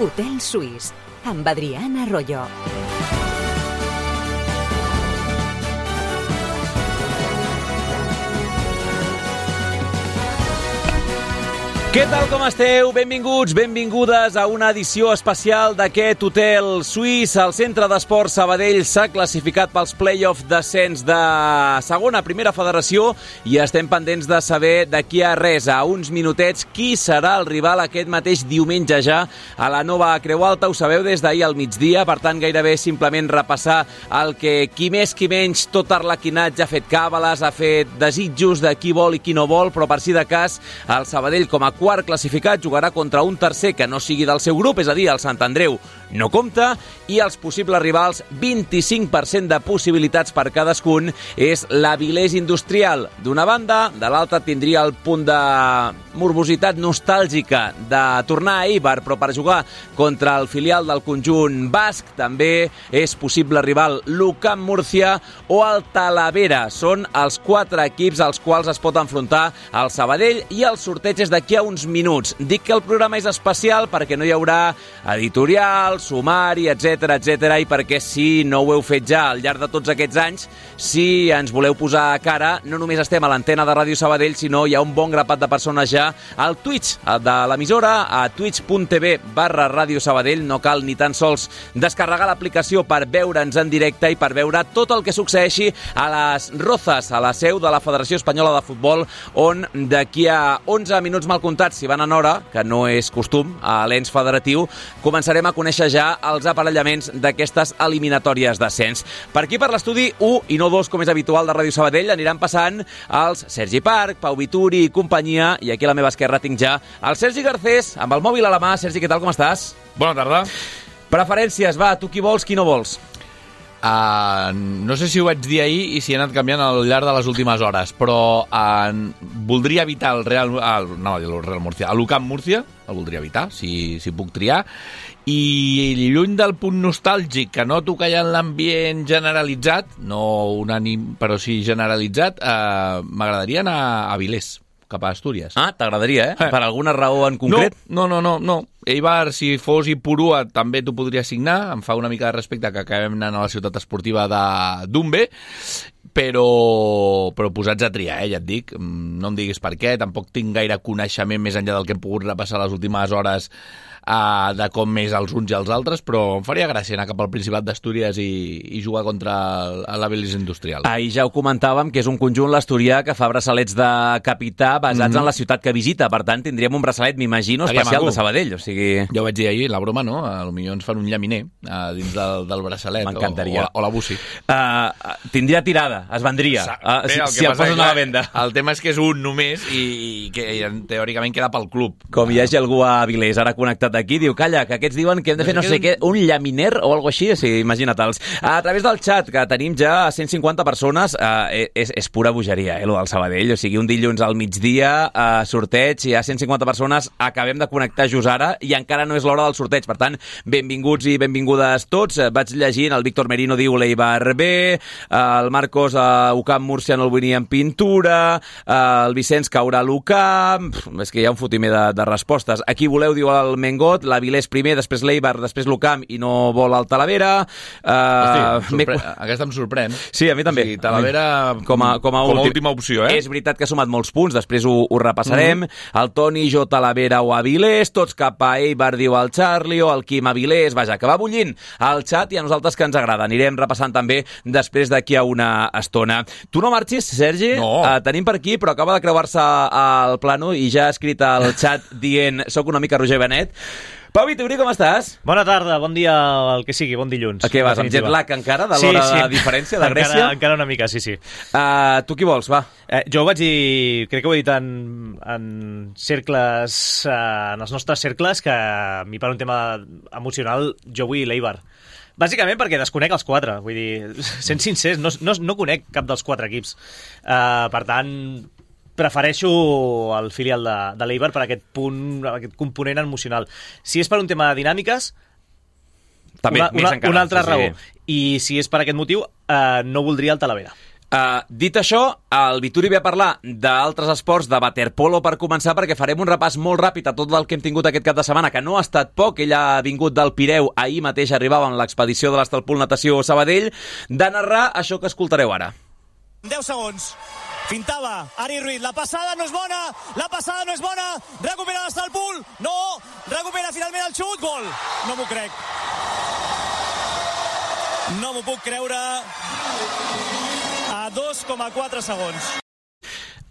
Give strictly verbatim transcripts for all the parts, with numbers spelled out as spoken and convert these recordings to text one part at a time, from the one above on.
Hotel Suís, amb Adrián Arroyo. Què tal, com esteu? Benvinguts, benvingudes a una edició especial d'aquest Hotel Suís. El Centre d'Esport Sabadell s'ha classificat pels play-off d'ascens de segona a primera federació i estem pendents de saber d'aquí a res, a uns minutets, qui serà el rival aquest mateix diumenge ja a la nova Creu Alta. Ho sabeu des d'ahir al migdia, per tant gairebé simplement repassar el que qui més qui menys tot arlequinatge ha fet càbales, ha fet desitjos de qui vol i qui no vol, però per si de cas el Sabadell com a quart classificat jugarà contra un tercer que no sigui del seu grup, és a dir, el Sant Andreu no compta, i els possibles rivals, vint-i-cinc per cent de possibilitats per cadascun, és l'Avilés Industrial. D'una banda, de l'altra tindria el punt de morbositat nostàlgica de tornar a Eibar, però per jugar contra el filial del conjunt basc també és possible rival l'Ucam Múrcia o el Talavera. Són els quatre equips als quals es pot enfrontar el Sabadell i el sorteig és d'aquí a uns minuts. Dic que el programa és especial perquè no hi haurà editorial, sumari, etcètera, etcètera, i perquè si no ho heu fet ja al llarg de tots aquests anys, si ens voleu posar a cara, no només estem a l'antena de Ràdio Sabadell, sinó hi ha un bon grapat de persones ja al Twitch de l'emissora, a twitch.tv barra Ràdio Sabadell. No cal ni tan sols descarregar l'aplicació per veure'ns en directe i per veure tot el que succeeixi a les Rozas, a la seu de la Federació Espanyola de Futbol, on d'aquí a onze minuts mal comptats, si van en hora, que no és costum a l'ens federatiu, començarem a conèixer ja els aparellaments d'aquestes eliminatòries d'ascens. Per aquí, per l'estudi u i no dos, com és habitual de Ràdio Sabadell, aniran passant els Sergi Parc, Pau Vituri i companyia, i aquí a la meva esquerra tinc ja el Sergi Garcés, amb el mòbil a la mà. Sergi, què tal, com estàs? Bona tarda. Preferències, va, tu qui vols, qui no vols? Uh, no sé si ho vaig dir ahir i si he anat canviant al llarg de les últimes hores, però uh, voldria evitar el Real, el, no, el Real Murcia, l'Ucam Múrcia, el voldria evitar, si, si puc triar, i lluny del punt nostàlgic que noto que hi ha en l'ambient generalitzat, no unànim, però sí generalitzat, uh, m'agradaria anar a Avilés, cap a Astúries. Ah, t'agradaria, eh? eh? Per alguna raó en concret? No, no, no, no. no. Eibar, si fos i Purua, també t'ho podria signar. Em fa una mica de respecte que acabem anant a la ciutat esportiva de Dumbe, però, però posats a triar, eh, ja et dic. No em diguis per què, tampoc tinc gaire coneixement més enllà del que hem pogut repassar les últimes hores uh, de com més els uns i els altres, però em faria gràcia anar cap al Principat d'Astúries i, i jugar contra l'Avilés Industrial. Ahir ja ho comentàvem, que és un conjunt l'asturià que fa braçalets de capità basats mm-hmm. en la ciutat que visita. Per tant, tindríem un braçalet, m'imagino, especial de Sabadell. O sigui... Ja ho vaig dir ahir, la broma, no? Potser ens fan un llaminer uh, dins del, del braçalet. M'encantaria. O, o, o la bussi. Uh, tindria tirada, es vendria. Uh, Bé, si si el posen a la venda. El tema és que és un només i, i que teòricament queda pel club. Com hi hagi algú a Avilés ara connectat aquí, diu, calla, que aquests diuen que hem de fer no sé què, un llaminer o alguna així, o sigui, imagina't-els. A través del xat, que tenim ja cent cinquanta persones, uh, és, és pura bogeria, eh, lo del Sabadell. O sigui, un dilluns al migdia, uh, sorteig, hi ha cent cinquanta persones, acabem de connectar just ara, i encara no és l'hora del sorteig. Per tant, benvinguts i benvingudes tots. Vaig llegint, el Víctor Merino diu l'Eibar B, el Marcos uh, Ucam Múrcia no el venia en pintura, uh, el Vicenç caurà a l'Ucam, és que hi ha un fotimer de, de respostes. Aquí voleu, diu el Mengot, l'Avilés primer, després l'Eibar, després l'Ucam i no vol el Talavera. Uh, Hosti, sorpre... aquesta em sorprèn. Sí, a mi també. O sigui, Talavera com a, com a, com a últim... última opció, eh? És veritat que ha sumat molts punts, després ho, ho repassarem. Mm-hmm. El Toni, jo, Talavera o Avilés, tots cap a Eibar, diu el Charlie, o el Quim Avilés, vaja, que va bullint al xat i a nosaltres que ens agrada. Anirem repassant també després d'aquí a una estona. Tu no marxis, Sergi? No. Uh, tenim per aquí, però acaba de creuar-se al plano i ja ha escrit al xat dient soc una mica Roger Benet. Pau Vituri, com estàs? Bona tarda, bon dia, el que sigui, bon dilluns. A què vas, amb jet lag encara, de l'hora sí, sí. de diferència de Grècia? Encara, encara una mica, sí, sí. Uh, tu qui vols, va? Eh, jo ho vaig dir, crec que ho he dit en, en cercles, eh, en els nostres cercles, que a mi per un tema emocional jo vull l'Eibar. Bàsicament perquè desconec els quatre, vull dir, sent sincers, no, no, no conec cap dels quatre equips. Uh, per tant, prefereixo el filial de, de l'Eibar per aquest punt, aquest component emocional. Si és per un tema de dinàmiques, també, una, més una, encara, una altra sí, raó. Sí. I si és per aquest motiu, eh, no voldria el Talavera. Uh, dit això, el Vituri ve a parlar d'altres esports, de waterpolo per començar, perquè farem un repàs molt ràpid a tot el que hem tingut aquest cap de setmana, que no ha estat poc. Ell ha vingut del Pireu, ahir mateix arribava en l'expedició de l'Estalpool Natació Sabadell, de narrar això que escoltareu ara. deu segons. Fintava Ari Ruiz, la passada no és bona, la passada no és bona, recupera l'Estalpool, no, recupera finalment el xut, gol. No m'ho crec. No m'ho puc creure. A dos coma quatre segons.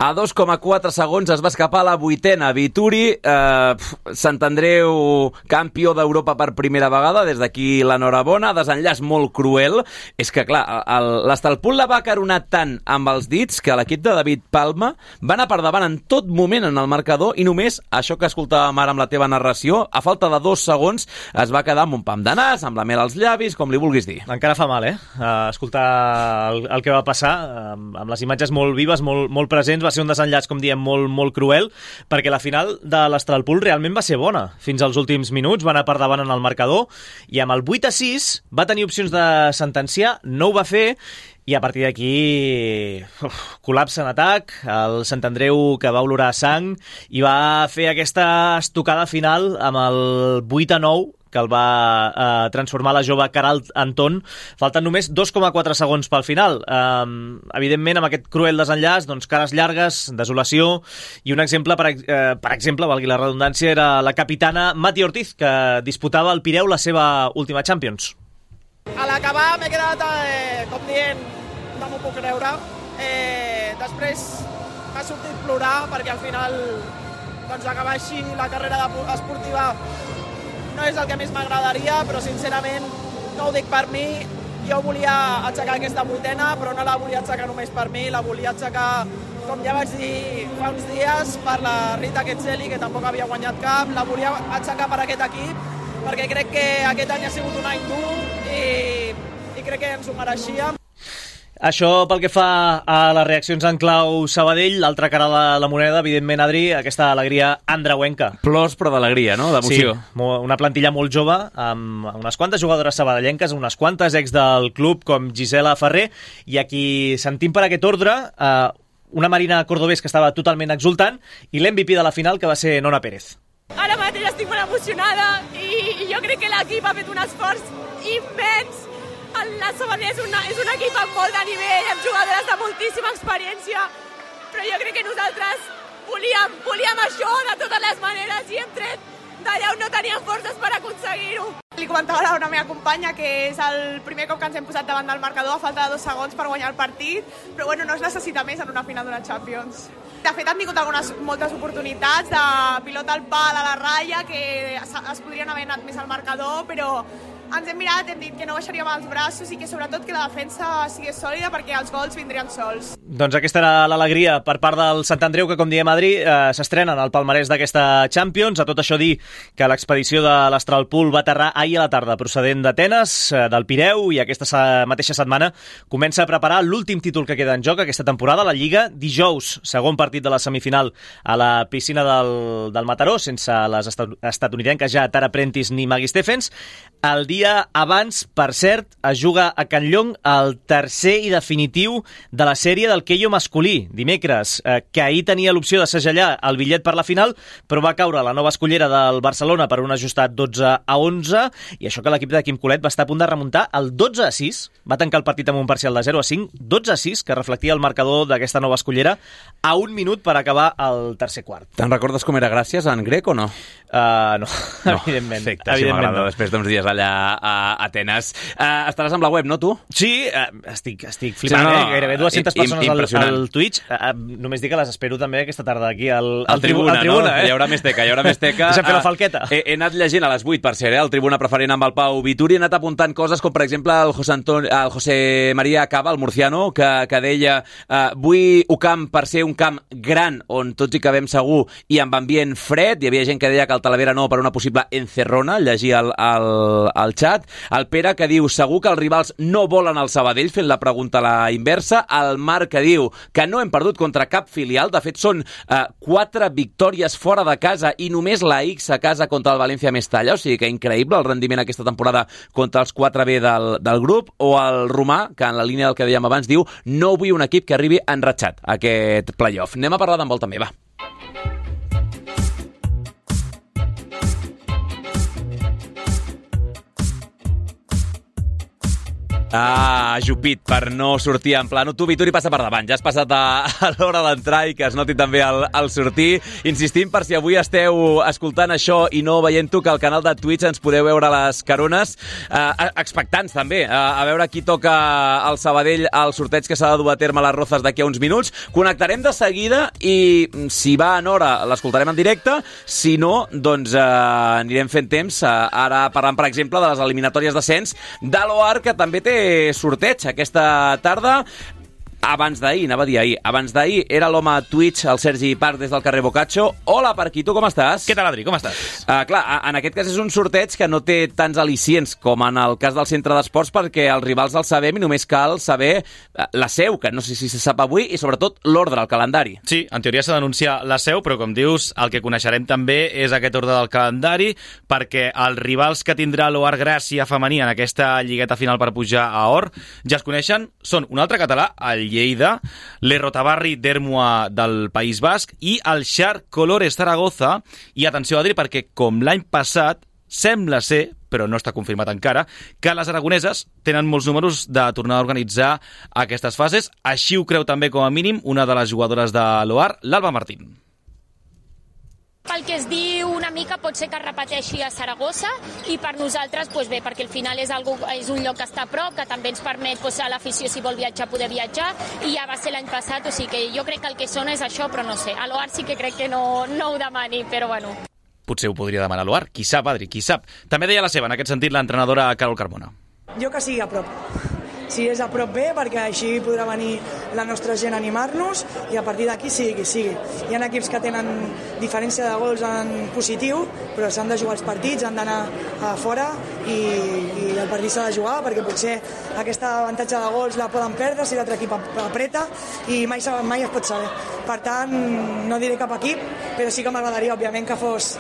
A dos coma quatre segons es va escapar la vuitena. Vituri, eh, Sant Andreu, campió d'Europa per primera vegada, des d'aquí l'enhorabona, desenllaç molt cruel. És que, clar, l'Estalpool la va caronar tant amb els dits que l'equip de David Palma va anar per davant en tot moment en el marcador i només, això que escoltàvem ara amb la teva narració, a falta de dos segons es va quedar amb un pam de nas, amb la mel als llavis, com li vulguis dir. Encara fa mal, eh? Uh, escoltar el, el que va passar, uh, amb les imatges molt vives, molt, molt presents, va ser un desenllaç, com diem, molt, molt cruel, perquè la final de l'Estalpool realment va ser bona. Fins als últims minuts va anar per davant en el marcador i amb el vuit a sis va tenir opcions de sentenciar, no ho va fer, i a partir d'aquí col·lapse en atac, el Sant Andreu que va olorar sang i va fer aquesta estocada final amb el vuit a nou que el va eh, transformar la jove Caral Anton. Falten només dos coma quatre segons pel final. Eh, evidentment, amb aquest cruel desenllaç, doncs, cares llargues, desolació, i un exemple, per, eh, per exemple, valgui la redundància, era la capitana Mati Ortiz, que disputava al Pireu la seva última Champions. A l'acabar m'he quedat, eh, com dient, no m'ho puc creure. Eh, després m'ha sortit plorar, perquè al final, doncs, acabar així la carrera de, esportiva no és el que més m'agradaria, però sincerament no ho dic per mi. Jo volia aixecar aquesta vuitena, però no la volia aixecar només per mi, la volia aixecar, com ja vaig dir fa uns dies, per la Rita Quetzeli, que tampoc havia guanyat cap. La volia aixecar per aquest equip, perquè crec que aquest any ha sigut un any dur i, i crec que ens ho mereixíem. Això pel que fa a les reaccions en clau Sabadell, l'altra cara de la moneda, evidentment, Adri, aquesta alegria andreuenca. Plors, però d'alegria, no? D'emoció. Sí, una plantilla molt jove, amb unes quantes jugadores sabadellenques, unes quantes ex del club, com Gisela Ferrer, i aquí sentim per aquest ordre eh, una Marina Cordobés que estava totalment exultant, i l'M V P de la final, que va ser Nona Pérez. Ara mateix estic molt emocionada i, i jo crec que l'equip ha fet un esforç immens. La Sabadell és, una, és un equip amb molt de nivell, amb jugadores de moltíssima experiència, però jo crec que nosaltres volíem, volíem això de totes les maneres i hem tret d'allà on no teníem forces per aconseguir-ho. Li comentava a una meva companya que és el primer cop que ens hem posat davant del marcador a falta de dos segons per guanyar el partit, però bueno, no es necessita més en una final d'una Champions. De fet, han tingut algunes, moltes oportunitats de pilota al pal a la ratlla, que es, es podrien haver anat més al marcador, però ens hem mirat, hem dit que no baixaríem els braços i que sobretot que la defensa sigués sòlida perquè els gols vindrien sols. Doncs aquesta era l'alegria per part del Sant Andreu, que, com diem, Adri, eh, s'estrenen al palmarès d'aquesta Champions. A tot això dir que l'expedició de l'Estalpool va aterrar ahir a la tarda procedent d'Atenes, eh, del Pireu, i aquesta mateixa setmana comença a preparar l'últim títol que queda en joc aquesta temporada, la Lliga. Dijous, segon partit de la semifinal a la piscina del, del Mataró, sense les estatunidenques ja Tara Prentice ni Maggie Stephens. El dia abans, per cert, es juga a Can Llong el tercer i definitiu de la sèrie del Keio masculí, dimecres, eh, que ahir tenia l'opció de segellar el bitllet per la final, però va caure la nova escollera del Barcelona per un ajustat dotze a onze, i això que l'equip de Quim Colet va estar a punt de remuntar el dotze a sis, va tancar el partit amb un parcial de zero a cinc, dotze a sis, que reflectia el marcador d'aquesta nova escollera, a un minut per acabar el tercer quart. Te'n recordes com era Gràcies en grec o no? Uh, no, no, evidentment. Perfecte, evidentment si m'agrada, no. Després d'uns dies allà a Atenes. Uh, estaràs amb la web, no, tu? Sí, uh, estic, estic flipant, sí, no, no, eh? Gairebé dues-centes persones al, al Twitch. Uh, només dic que les espero també aquesta tarda aquí al, al, al Tribuna, al tribuna no? eh? Hi haurà més teca, hi haurà més teca. Deixa'm fer la falqueta. Uh, he, he anat llegint a les vuit, per ser, eh? El Tribuna preferent amb el Pau Vituri, he anat apuntant coses com, per exemple, el José, Anton... el José María Cava, el murciano, que, que deia uh, vull un camp per ser un camp gran on tots hi cabem segur i amb ambient fred. Hi havia gent que deia que el Talavera no per una possible encerrona, llegir el, el, el al xat. El Pere, que diu, segur que els rivals no volen el Sabadell, fent la pregunta a la inversa. El Marc, que diu que no hem perdut contra cap filial. De fet, són eh, quatre victòries fora de casa i només la X a casa contra el València Mestalla. O sigui que increïble el rendiment aquesta temporada contra els quatre B del, del grup. O el Romà, que en la línia del que dèiem abans, diu no vull un equip que arribi enratxat a aquest playoff. Anem a parlar d'handbol també, va. Ah, ajupit per no sortir en plano. Tu, Vituri, passa per davant. Ja has passat a, a l'hora d'entrar i que es noti també el, el sortir. Insistim, per si avui esteu escoltant això i no veient-ho, que al canal de Twitch ens podeu veure les carones. Eh, expectants, també, a, a veure qui toca el Sabadell al sorteig que s'ha de dur a terme a les Rozas d'aquí a uns minuts. Connectarem de seguida i, si va en hora, l'escoltarem en directe. Si no, doncs eh, anirem fent temps. Eh, ara parlant, per exemple, de les eliminatòries d'ascens de l'O A R, que també té sorteig aquesta tarda. Abans d'ahir, anava a dir ahir, abans d'ahir era l'home a Twitch, el Sergi Parc, des del carrer Boccaccio. Hola, Parquito, com estàs? Què tal, Adri, com estàs? Uh, clar, en aquest cas és un sorteig que no té tants al·licients com en el cas del centre d'esports, perquè els rivals el sabem i només cal saber la seu, que no sé si se sap avui, i sobretot l'ordre, el calendari. Sí, en teoria s'ha d'anunciar la seu, però com dius, el que coneixerem també és aquest ordre del calendari, perquè els rivals que tindrà l'O A R Gràcia femení en aquesta lligueta final per pujar a Or ja es coneixen, són un altre català, el Lleida, l'Errotabarri d'Ermua del País Basc i el Xar Colores Zaragoza. I atenció, Adri, perquè com l'any passat sembla ser, però no està confirmat encara, que les aragoneses tenen molts números de tornar a organitzar aquestes fases. Així ho creu també, com a mínim, una de les jugadores de l'O A R, l'Alba Martín. Pel que es diu una mica pot ser que es repeteixi a Saragossa i per nosaltres doncs bé, perquè al final és, algo, és un lloc que està a prop, que també ens permet doncs, a l'afició, si vol viatjar, poder viatjar, i ja va ser l'any passat, o sigui que jo crec que el que sona és això, però no sé, a l'O A R sí que crec que no, no ho demani, però bueno. Potser ho podria demanar a l'O A R, qui sap, Adri, qui sap. També deia la seva, en aquest sentit, l'entrenadora Carol Carmona. Jo que sigui a prop. Si és a prop bé, perquè així podrà venir la nostra gent a animar-nos i a partir d'aquí sigui qui sigui. Hi ha equips que tenen diferència de gols en positiu, però s'han de jugar els partits, han d'anar a fora i, i el partit s'ha de jugar, perquè potser aquesta avantatge de gols la poden perdre si l'altre equip apreta i mai, mai es pot saber. Per tant, no diré cap equip, però sí que m'agradaria, òbviament, que fos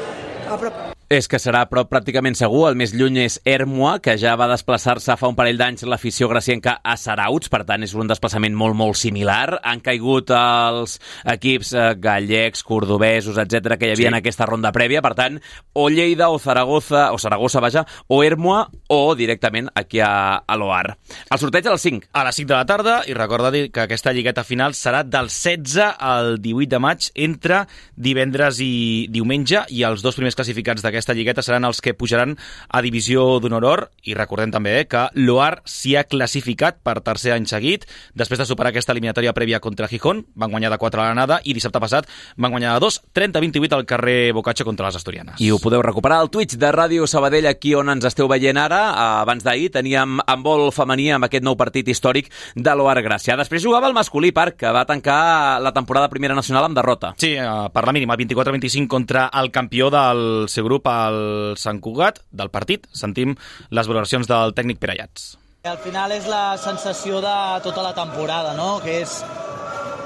a prop. És que serà a prop pràcticament segur. El més lluny és Ermua, que ja va desplaçar-se fa un parell d'anys l'afició gracienca a Sarauts, per tant és un desplaçament molt, molt similar. Han caigut els equips gallecs, cordobesos, etcètera, que hi havia sí. en aquesta ronda prèvia, per tant, o Lleida, o Zaragoza, o Saragossa, vaja, o Ermua, o directament aquí a, a l'O A R. El sorteig a les cinc. A les cinc de la tarda, i recorda dir que aquesta lligueta final serà del setze al divuit de maig, entre divendres i diumenge, i els dos primers classificats d'aquesta Aquesta lligueta seran els que pujaran a Divisió d'Honor Or, i recordem també eh, que l'O A R s'hi ha classificat per tercer any seguit, després de superar aquesta eliminatòria prèvia contra Gijón, van guanyar de quatre a l'anada i dissabte passat van guanyar de dos, trenta a vint-i-vuit al carrer Boccaccio contra les asturianes. I ho podeu recuperar al Twitch de Ràdio Sabadell, aquí on ens esteu veient ara. Abans d'ahir teníem handbol femení amb aquest nou partit històric de l'O A R Gràcia. Després jugava el masculí, Parc, que va tancar la temporada primera nacional amb derrota. Sí, per la mínima, vint-i-quatre a vint-i-cinc contra el campió del seu grup, al Sant Cugat. Del partit sentim les valoracions del tècnic Pere Ayats. Al final és la sensació de tota la temporada, no? Que és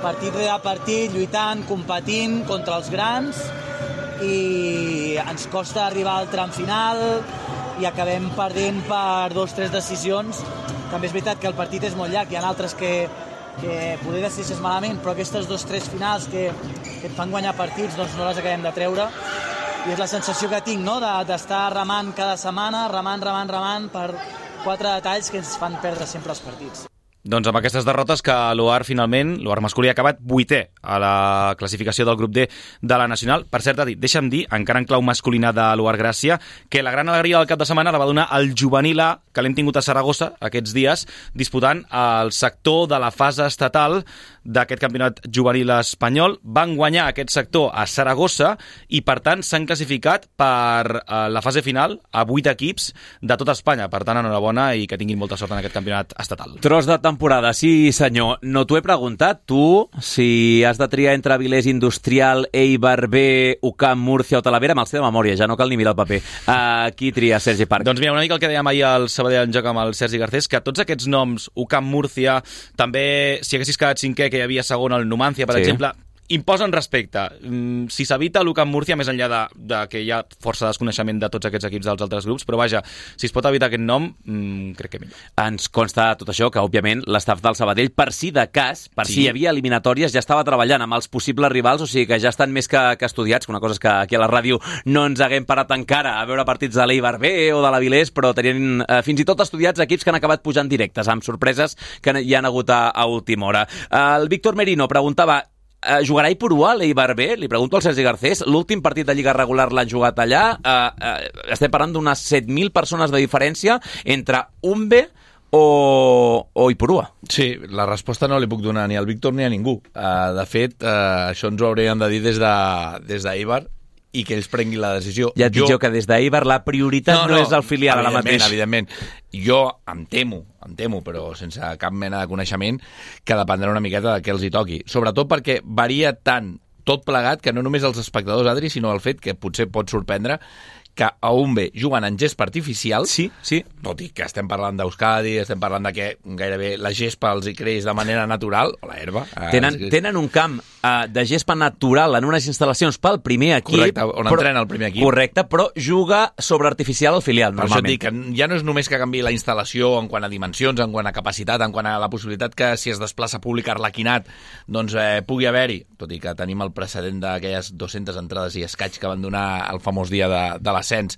partit rere partit, lluitant, competint contra els grans, i ens costa arribar al tram final i acabem perdent per dos o tres decisions. També és veritat que el partit és molt llarg, hi ha altres que que poder decideixes malament, però aquestes dos o tres finals que, que et fan guanyar partits doncs no les acabem de treure. I és la sensació que tinc, no?, d'estar remant cada setmana, remant, remant, remant per quatre detalls que ens fan perdre sempre els partits. Doncs amb aquestes derrotes que l'O A R finalment, l'O A R masculí ha acabat vuitè a la classificació del grup D de la Nacional. Per cert, deixa'm dir, encara en clau masculina de l'O A R Gràcia, que la gran alegria del cap de setmana la va donar el juvenil A, que l'hem tingut a Saragossa aquests dies, disputant el sector de la fase estatal d'aquest campionat juvenil espanyol. Van guanyar aquest sector a Saragossa i, per tant, s'han classificat per la fase final a vuit equips de tota Espanya. Per tant, enhorabona i que tinguin molta sort en aquest campionat estatal. Tros de temporada, sí senyor. No t'ho he preguntat, tu, si has de triar entre Avilés Industrial, Eibar B, U C A M, Múrcia o Talavera, me'ls té de memòria, ja no cal ni mirar el paper. Uh, qui tria, Sergi Parc? Doncs mira, una mica el que dèiem ahir al Sabadell en joc amb el Sergi Garcés, que tots aquests noms, U C A M, Múrcia, també, si haguessis quedat cinquè, que hi havia segon al Numancia, per sí. exemple, imposen respecte. Si s'evita l'U C A M Múrcia, més enllà de, de que hi ha força desconeixement de tots aquests equips dels altres grups, però vaja, si es pot evitar aquest nom, mmm, crec que millor. Ens consta tot això, que òbviament l'estaf del Sabadell, per si de cas, per sí. si hi havia eliminatòries, ja estava treballant amb els possibles rivals, o sigui que ja estan més que, que estudiats, que una cosa és que aquí a la ràdio no ens haguem parat encara a veure partits de l'Eibar B o de l'Avilés, però tenien eh, fins i tot estudiats equips que han acabat pujant directes, amb sorpreses que hi han hagut a, a última hora. El Víctor Merino preguntava: Uh, jugarà Ipurua a l'Eibar B? Li pregunto al Sergi Garcés. L'últim partit de Lliga regular l'han jugat allà. Uh, uh, estem parlant d'unes set mil persones de diferència entre Umbe o, o Ipurua. Sí, la resposta no li puc donar ni al Víctor ni a ningú. Uh, de fet, uh, això ens ho haurien de dir des de, des d'Eibar i que ells prenguin la decisió. Ja et dic jo que des d'Eibar la prioritat no, no, no és el filial ara mateix. Evidentment, jo em temo, em temo, però sense cap mena de coneixement, que dependrà una miqueta de què els hi toqui. Sobretot perquè varia tant tot plegat que no només els espectadors, Adri, sinó el fet que potser pot sorprendre que a Umbe juguen en gespa artificial, sí, sí. tot i que estem parlant d'Euskadi, estem parlant de que gairebé la gespa els hi creix de manera natural, o la herba. Tenen, eh, tenen un camp uh, de gespa natural en unes instal·lacions pel primer equip. Correcte, on però, entrena el primer equip. Correcte, però juga sobre artificial al filial, per normalment. Per això et dic que ja no és només que canvi la instal·lació en quant a dimensions, en quant a capacitat, en quant a la possibilitat que si es desplaça públic Arlequinat, doncs eh, pugui haver-hi, tot i que tenim el precedent d'aquelles dues-centes entrades i escaig que van donar el famós dia de, de l'ascens,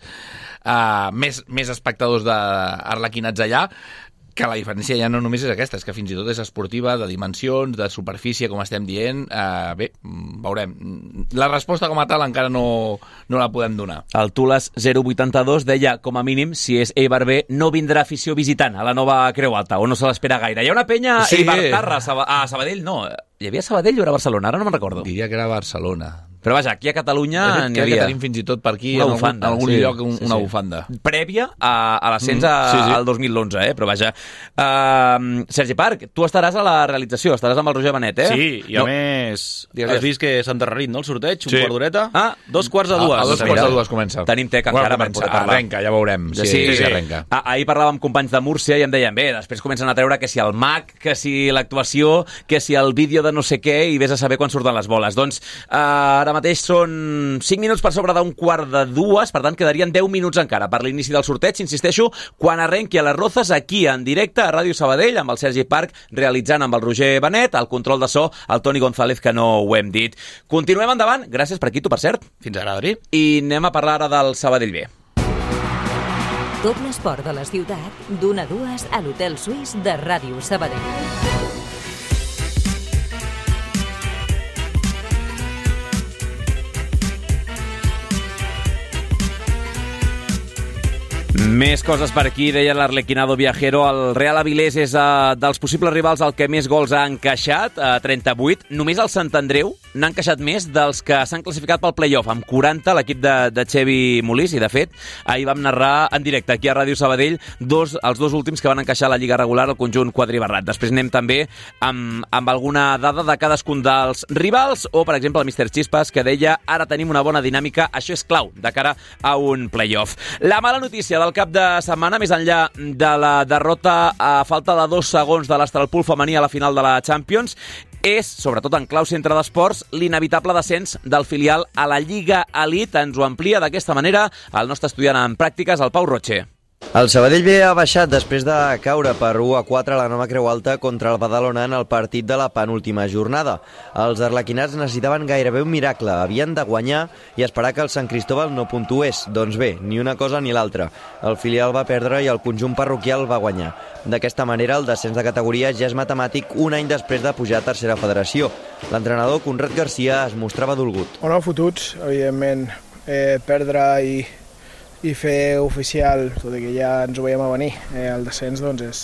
uh, més, més espectadors d'Arlequinats allà, que la diferència ja no només és aquesta, és que fins i tot és esportiva, de dimensions, de superfície, com estem dient. Uh, bé, veurem. La resposta com a tal encara no, no la podem donar. El Tules zero vuitanta-dos deia, com a mínim, si és Eibar B, no vindrà afició visitant a la nova Creu Alta, o no se l'espera gaire. Hi ha una penya sí. Eibar-Tarra, a Sabadell, no. Hi havia Sabadell o era Barcelona? Ara no me'n recordo. Diria que era Barcelona. Però vaja, aquí a Catalunya n'hi havia. Que tenim fins i tot per aquí, una en bufanda, algun, algun sí, lloc, un, sí, una sí. bufanda. Prèvia a, a l'ascens mm, sí, sí. al dos mil onze, eh? Però vaja. Uh, Sergi Parc, tu estaràs a la realització, estaràs amb el Roger Benet, eh? Sí, i a no. més, Digues. has vist que s'ha endarrerit, no, el sorteig? Sí. Un quart d'horeta? Ah, dos quarts de dues. A, a dos quarts de dues comença. Tenim tec encara bueno, per poder parlar. Arrenca, ja veurem. Sí, sí, sí, sí. arrenca. Ah, ahir parlàvem amb companys de Múrcia i em deien, bé, després comencen a treure que si el mag, que si l'actuació, que si el vídeo de no sé què, i vés a saber quan surten les boles. Doncs uh, ara mateix són cinc minuts per sobre d'un quart de dues, per tant quedarien deu minuts encara per l'inici del sorteig, insisteixo, quan arrenqui a les Rozas, aquí en directe a Ràdio Sabadell, amb el Sergi Parc realitzant amb el Roger Benet, el control de so, el Toni González, que no ho hem dit. Continuem endavant, gràcies per aquí, tu, per cert. Fins ara, Adri. I anem a parlar ara del Sabadell B. Tot l'esport de la ciutat, d'una a dues a l'Hotel Suís de Ràdio Sabadell. Més coses per aquí, deia l'Arlequinado Viajero. El Real Avilés és uh, dels possibles rivals el que més gols ha encaixat, a uh, trenta-vuit. Només el Sant Andreu n'ha encaixat més dels que s'han classificat pel play-off, amb quaranta, l'equip de, de Xevi Molís, i de fet, ahir vam narrar en directe aquí a Ràdio Sabadell dos, els dos últims que van encaixar a la Lliga regular, el conjunt quadribarrat. Després anem també amb, amb alguna dada de cadascun dels rivals, o, per exemple, el míster Chispas, que deia ara tenim una bona dinàmica, això és clau de cara a un play-off. La mala notícia del cap de setmana, més enllà de la derrota a falta de dos segons de l'Astralpool femení a la final de la Champions, és, sobretot en clau centre d'esports, l'inevitable descens del filial a la Lliga Elite. Ens ho amplia d'aquesta manera el nostre estudiant en pràctiques, el Pau Roche. El Sabadell B ha baixat després de caure per u a quatre a la nova Creu Alta contra el Badalona en el partit de la penúltima jornada. Els arlequinats necessitaven gairebé un miracle, havien de guanyar i esperar que el Sant Cristóbal no puntués. Doncs bé, ni una cosa ni l'altra. El filial va perdre i el conjunt parroquial va guanyar. D'aquesta manera, el descens de categoria ja és matemàtic un any després de pujar a tercera federació. L'entrenador Conrad Garcia es mostrava dolgut. O no fotuts, evidentment, eh, perdre i i fer oficial, tot i que ja ens ho veiem a venir, eh, el descens doncs és,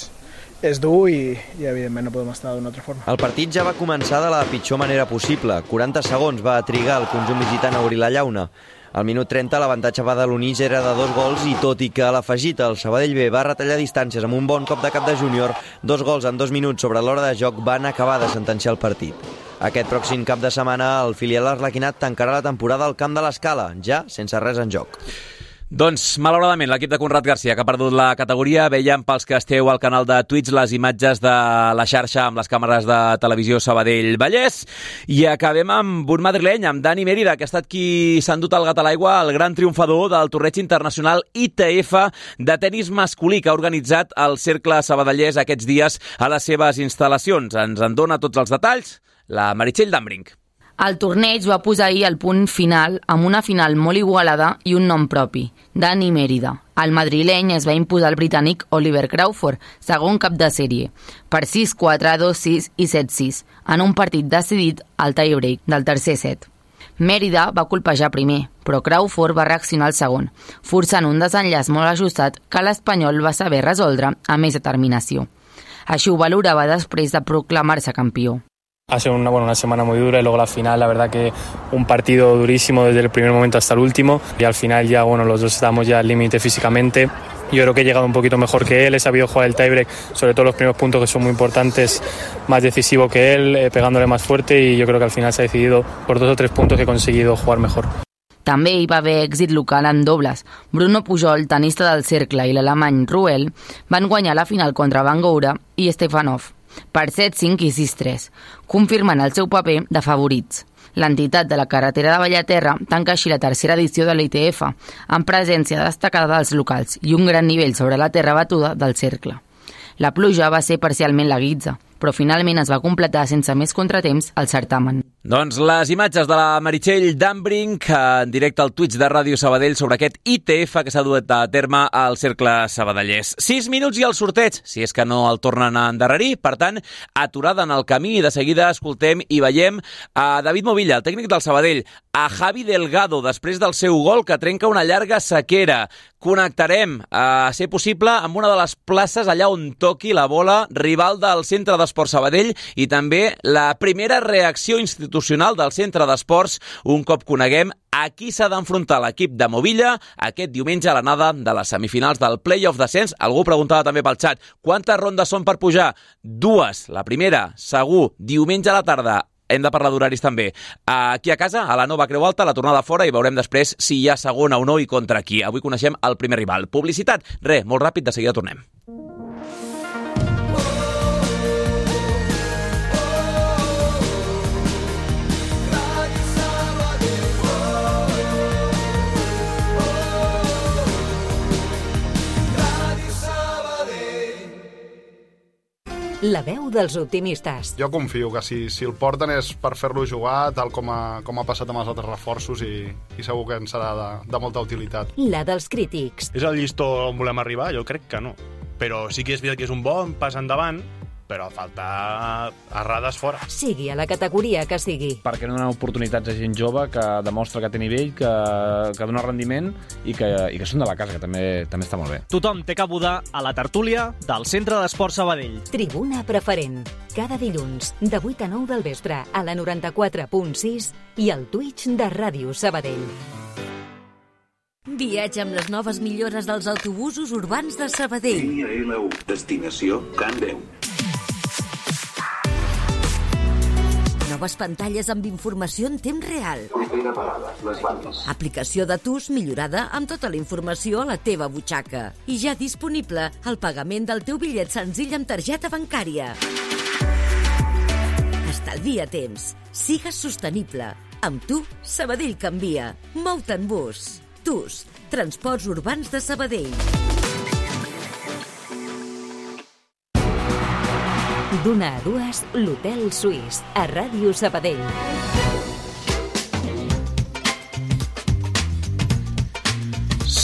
és dur i, i evidentment no podem estar d'una altra forma. El partit ja va començar de la pitjor manera possible. quaranta segons va trigar el conjunt visitant a obrir la llauna. Al minut trenta l'avantatge badaloní ja era de dos gols i tot i que a l'afegit el Sabadell B va retallar distàncies amb un bon cop de cap de júnior, dos gols en dos minuts sobre l'hora de joc van acabar de sentenciar el partit. Aquest pròxim cap de setmana el filial arlequinat tancarà la temporada al Camp de l'Escala, ja sense res en joc. Doncs, malauradament, l'equip de Conrad Garcia, que ha perdut la categoria, veiem pels que esteu al canal de Twitch les imatges de la xarxa amb les càmeres de televisió Sabadell-Vallès, i acabem amb un madrileny, amb Dani Mérida, que ha estat qui s'ha endut el gat a l'aigua, el gran triomfador del torneig internacional I T F de tenis masculí, que ha organitzat el Cercle Sabadellès aquests dies a les seves instal·lacions. Ens en dona tots els detalls la Meritxell Dambrink. El torneig va posar ahir el punt final amb una final molt igualada i un nom propi, Dani Mérida. El madrileny es va imposar al britànic Oliver Crawford, segon cap de sèrie, per sis quatre, dos sis i set sis, en un partit decidit al tie-break del tercer set. Mérida va colpejar primer, però Crawford va reaccionar al segon, forçant un desenllaç molt ajustat que l'espanyol va saber resoldre amb més determinació. Així ho valorava després de proclamar-se campió. Ha sido una, bueno, una semana muy dura y luego la final, la verdad que un partido durísimo desde el primer momento hasta el último y al final ya, bueno, los dos estábamos ya al límite físicamente. Yo creo que he llegado un poquito mejor que él, he sabido jugar el tiebreak, sobre todo los primeros puntos que son muy importantes, más decisivo que él, eh, pegándole más fuerte y yo creo que al final se ha decidido por dos o tres puntos que he conseguido jugar mejor. També hi va haver èxit local en dobles. Bruno Pujol, tenista del Cercle, i l'alemany Ruel van guanyar la final contra Van Goura i Stefanov per set cinc i sis tres, confirmant el seu paper de favorits. L'entitat de la carretera de Bellaterra tanca així la tercera edició de l'I T F, amb presència destacada dels locals i un gran nivell sobre la terra batuda del Cercle. La pluja va ser parcialment la guitza, però finalment es va completar sense més contratemps el certamen. Doncs les imatges de la Meritxell Dambrink en directe al Twitch de Ràdio Sabadell sobre aquest I T F que s'ha duet a terme al Cercle Sabadellès. Sis minuts i el sorteig, si és que no el tornen a endarrerir. Per tant, aturada en el camí i de seguida escoltem i veiem a David Movilla, el tècnic del Sabadell, a Javi Delgado, després del seu gol que trenca una llarga sequera. Connectarem, a ser possible, amb una de les places allà on toqui la bola rival del Centre d'Esports Sabadell i també la primera reacció institucional del Centre d'Esports un cop coneguem a qui s'ha d'enfrontar l'equip de Movilla aquest diumenge a l'anada de les semifinals del Play-off Descens. Algú preguntava també pel xat, quantes rondes són per pujar? Dues. La primera, segur, diumenge a la tarda. Hem de parlar d'horaris també. Aquí a casa, a la nova Creu Alta, la tornada fora, i veurem després si hi ha segona o no i contra qui. Avui coneixem el primer rival. Publicitat. Re, molt ràpid, de seguida tornem. La veu dels optimistes. Jo confio que si, si el porten és per fer-lo jugar tal com ha, com ha passat amb els altres reforços i, i segur que ens serà de, de molta utilitat. La dels crítics. És el llistó on volem arribar? Jo crec que no. Però sí que és veritat que és un bon pas endavant, però falta errades fora. Sigui a la categoria que sigui. Perquè no donen oportunitats a gent jove que demostra que té nivell, que, que dona rendiment i que, i que són de la casa, que també, també està molt bé. Tothom té cabuda a la tertúlia del Centre d'Esports Sabadell. Tribuna preferent. Cada dilluns, de vuit a nou del vespre, a la noranta-quatre punt sis i al Twitch de Ràdio Sabadell. Viatge amb les noves millores dels autobusos urbans de Sabadell. Línia L u, destinació Can Deu. Noves pantalles amb informació en temps real. Aplicació de T U S millorada amb tota la informació a la teva butxaca. I ja disponible el pagament del teu bitllet senzill amb targeta bancària. Estalvia temps. Sigues sostenible. Amb tu, Sabadell canvia. Mou-te en bus. T U S, Transports Urbans de Sabadell. D'una a dues, l'Hotel Suís, a Ràdio Sabadell.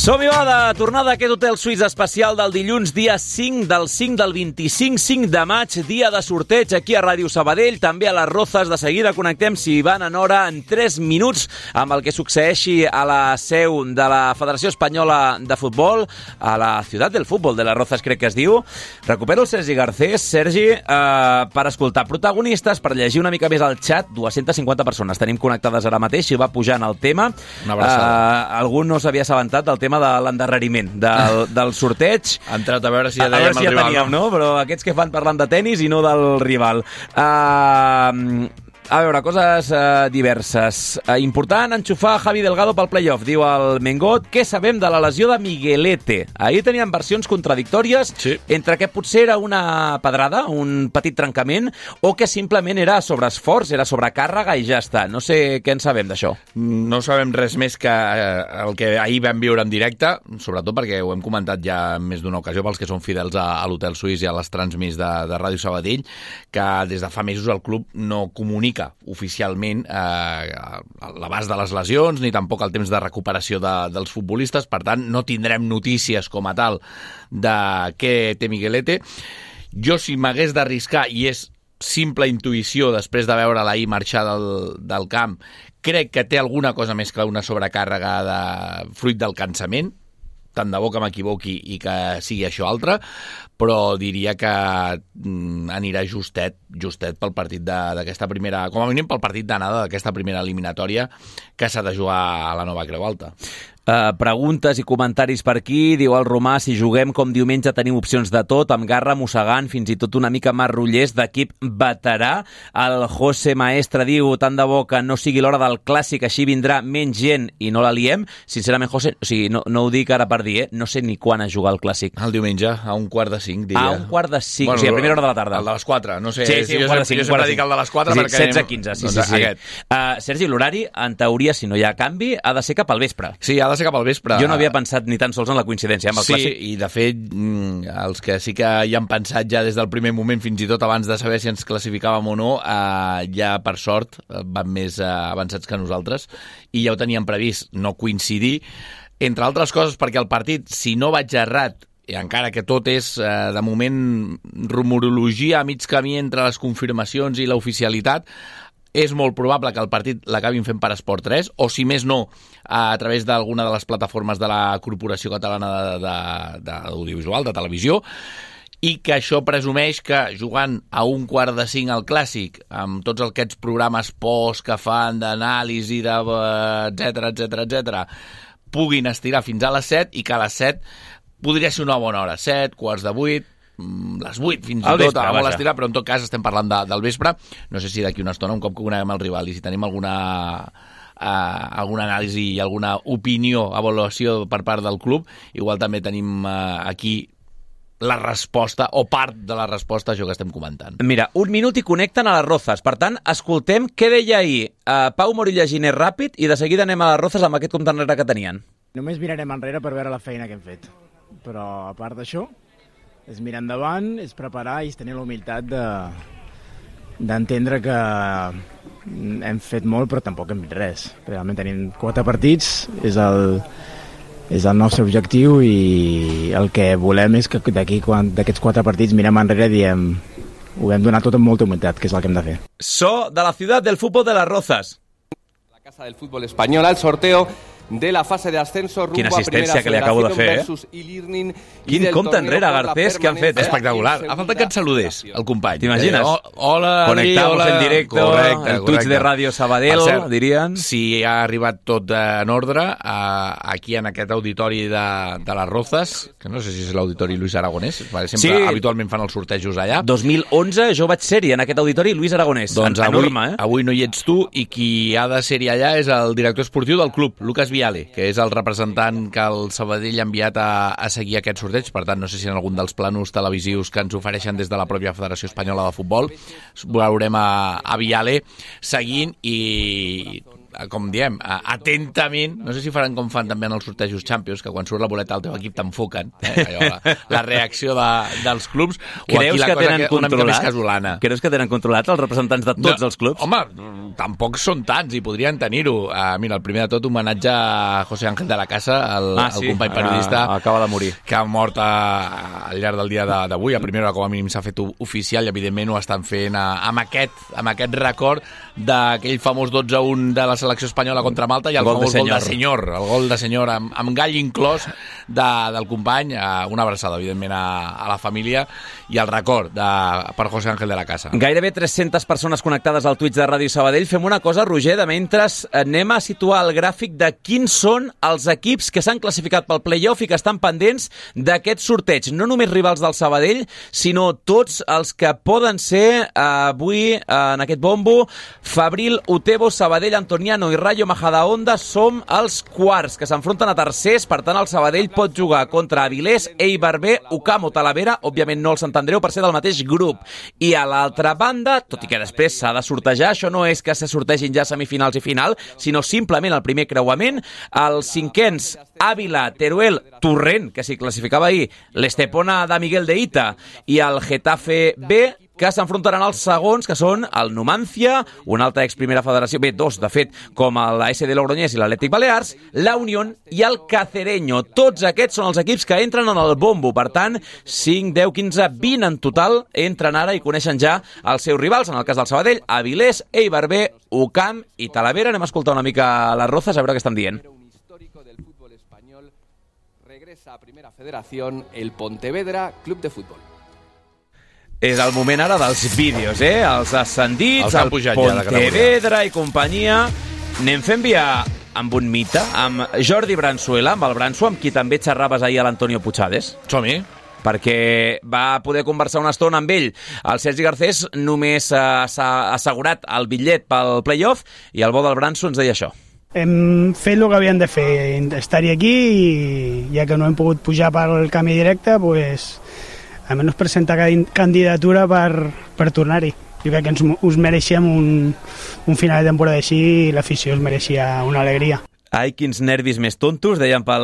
Som-hi, va, de tornada a aquest hotel suís especial del dilluns, dia cinc del cinc del vint-i-cinc, cinc de maig, dia de sorteig aquí a Ràdio Sabadell, també a les Rozas. De seguida connectem, si van en hora, en tres minuts, amb el que succeeixi a la seu de la Federació Espanyola de Futbol, a la Ciutat del Futbol de les Rozas, crec que es diu. Recupero el Sergi Garcés. Sergi, eh, per escoltar protagonistes, per llegir una mica més al xat, dues-centes cinquanta persones tenim connectades ara mateix, i va pujant el tema. Una abraçada. Eh, algú no s'havia assabentat del tema de l'endarreriment del, del sorteig. Ha entrat a veure si ja a veure dèiem si el ja rival. teníem, no? Però aquests que fan parlant de tenis i no del rival. Uh, a veure, coses uh, diverses. Uh, important, enxufar Javi Delgado pel playoff, diu el Mengot. Què sabem de la lesió de Miguelete? Ahir teníem versions contradictòries sí. entre que potser era una pedrada, un petit trencament, o que simplement era sobreesforç, era sobrecàrrega i ja està. No sé què en sabem d'això. No sabem res més que el que ahir vam viure en directe, sobretot perquè ho hem comentat ja en més d'una ocasió pels que són fidels a, a l'Hotel Suís i a les transmis de, de Ràdio Sabadell, que des de fa mesos el club no comunica oficialment eh, l'abast de les lesions ni tampoc el temps de recuperació de, dels futbolistes. Per tant, no tindrem notícies com a tal de què té Miguelete. Jo, si m'hagués d'arriscar, i és simple intuïció després de veure l'ahir marxar del, del camp, crec que té alguna cosa més que una sobrecàrrega de fruit del cansament, tant de bo que m'equivoqui i que sigui això altre, però diria que mm, anirà justet, justet pel partit d'aquesta primera, com a mínim pel partit d'anada d'aquesta primera eliminatòria que s'ha de jugar a la Nova Creu Alta. Uh, preguntes i comentaris per aquí. Diu el Romà, si juguem com diumenge tenim opcions de tot, amb Garra mossegant, fins i tot una mica Marrullers d'equip veterà. El José Maestre diu, tant de bo que no sigui l'hora del clàssic, així vindrà menys gent i no la liem. Sincerament, José, o sigui, no, no ho dic ara per dir, eh? No sé ni quan es juga el clàssic. El diumenge, a un quart de cinc, diria. A un quart de cinc, bueno, o sigui, a primera hora de la tarda. El de les quatre, no sé. Sí, sí, jo, un quart de cinc. Jo sempre dic el de les quatre sí, perquè... setze quinze, sí, doncs, sí, sí. Aquest. Uh, Sergi, l'horari, en teoria, si no hi ha canvi, ha de ser cap al vespre. Sí, ha de ser cap al vespre. Jo no havia pensat ni tan sols en la coincidència amb el sí, clàssic. Sí, i de fet, els que sí que hi han pensat ja des del primer moment, fins i tot abans de saber si ens classificàvem o no, eh, ja per sort van més eh, avançats que nosaltres, i ja ho teníem previst, no coincidir, entre altres coses perquè el partit, si no vaig errat, i encara que tot és, eh, de moment, rumorologia a mig camí entre les confirmacions i l'oficialitat, és molt probable que el partit l'acabin fent per Esport tres, o si més no, a través d'alguna de les plataformes de la Corporació Catalana d'Audiovisual, de, de, de televisió, i que això presumeix que jugant a un quart de cinc al Clàssic, amb tots aquests programes post que fan d'anàlisi, de, etcètera, etcètera, etcètera, puguin estirar fins a les set, i que a les set podria ser una bona hora, set, quarts de vuit, les vuit fins i tot, a molt estirar, però en tot cas estem parlant de, del vespre. No sé si d'aquí una estona, un cop que coneguem el rival i si tenim alguna, uh, alguna anàlisi i alguna opinió, avaluació per part del club, igual també tenim uh, aquí la resposta, o part de la resposta a això que estem comentant. Mira, un minut i connecten a les Rozas. Per tant, escoltem què deia ahir uh, Pau Morilla Giner ràpid, i de seguida anem a les Rozas amb aquest compte enrere que tenien. Només mirarem enrere per veure la feina que hem fet. Però, a part d'això, és mirar endavant, és preparar i és tenir la humilitat de, d'entendre que hem fet molt però tampoc hem fet res. Realment tenim quatre partits, és el, és el nostre objectiu, i el que volem és que d'aquí, d'aquests quatre partits, mirem enrere i diem ho hem donat tot amb molta humilitat, que és el que hem de fer. So de la ciutat del futbol de les Rozas. La Casa del Fútbol Español, el sorteo de la fase de ascenso rumbo Quina a Primera que li acabo de fer, eh? versus e-learning. Quin compte enrere, Garcés, que han fet, eh? Espectacular. Ha faltat que et saludés, el company. T'imagines? Eh, hola, Conectamos hola. en directo, correcte, el Twitch de Ràdio Sabadell, cert, dirien. Si ha arribat tot en ordre, eh, aquí en aquest auditori de, de les Rozas, que no sé si és l'auditori Luis Aragonès, sempre sí. habitualment fan els sortejos allà. dos mil onze jo vaig ser-hi en aquest auditori Luis Aragonès. Doncs en, avui, enorme, eh? avui no hi ets tu, i qui ha de ser-hi allà és el director esportiu del club, Lucas Viale, que és el representant que el Sabadell ha enviat a, a seguir aquest sorteig. Per tant, no sé si en algun dels planos televisius que ens ofereixen des de la pròpia Federació Espanyola de Futbol veurem a, a Viale seguint, i com diem, atentament, no sé si faran com fan també en els sortejos Champions, que quan surt la boleta del teu equip t'enfoquen, eh? Allò, la, la reacció de, dels clubs, o Creus aquí la que cosa tenen que una mica controlat? més casolana. Creus que tenen controlats els representants de tots no, els clubs? Home, tampoc són tants i podrien tenir-ho. Uh, mira, el primer de tot, homenatge a José Ángel de la Casa, el, ah, el sí, company periodista, uh, acaba de morir, que ha mort a, al llarg del dia d'avui. A primera hora, com a mínim, s'ha fet oficial i, evidentment, ho estan fent a, amb, aquest, amb aquest record d'aquell famós dotze a un de la selecció espanyola contra Malta i el, el famós gol de senyor, el gol de senyor amb, amb gall inclòs de, del company. Uh, una abraçada, evidentment, a, a la família i el record de, per José Ángel de la Casa. Gairebé tres-centes persones connectades al Twitch de Ràdio Sabadell. Fem una cosa, Roger, de mentre anem a situar el gràfic de quins són els equips que s'han classificat pel play-off i que estan pendents d'aquest sorteig. No només rivals del Sabadell, sinó tots els que poden ser eh, avui eh, en aquest bombo. Fabril, Utebo, Sabadell, Antoniano i Rayo Majadahonda som els quarts que s'enfronten a tercers. Per tant, el Sabadell pot jugar contra Avilés, Eibar B, Ucam o Talavera, òbviament no el Sant Andreu per ser del mateix grup. I a l'altra banda, tot i que després s'ha de sortejar, això no és que se sortegin ja semifinals i final, sinó simplement el primer creuament. Els cinquens, Àvila, Teruel, Torrent, que s'hi classificava ahir, l'Estepona de Miguel de Ita i el Getafe B, que s'enfrontaran als segons, que són el Numancia, una altra ex-primera federació, bé, dos, de fet, com la S D Logroñés i l'Atlètic Balears, la Unión i el Cacereño. Tots aquests són els equips que entren en el bombo. Per tant, cinc, deu, quinze, vint en total entren ara i coneixen ja els seus rivals. En el cas del Sabadell, Avilés, Eibar B, Ucam i Talavera. Anem a escoltar una mica les rozas, a veure què estan dient. Regresa a Primera Federación el Pontevedra Club de Fútbol. És el moment ara dels vídeos, eh? Els ascendits, els el Pontevedra i companyia. Anem fent via amb un mite, amb Jordi Bransuela, amb el Branso, amb qui també xerraves ahir a l'Antonio Puigades. Som-hi. Perquè va poder conversar una estona amb ell. El Sergi Garcés només ha assegurat el bitllet pel play-off i el bo del Branso ens deia això. Hem fet el que havíem de fer, estar-hi aquí i ja que no hem pogut pujar pel camí directe, pues, almenys presentar candidatura per, per tornar-hi. Jo crec que ens, us mereixem un, un final de temporada així i l'afició us mereixia una alegria. Ai, quins nervis més tontos, deien pel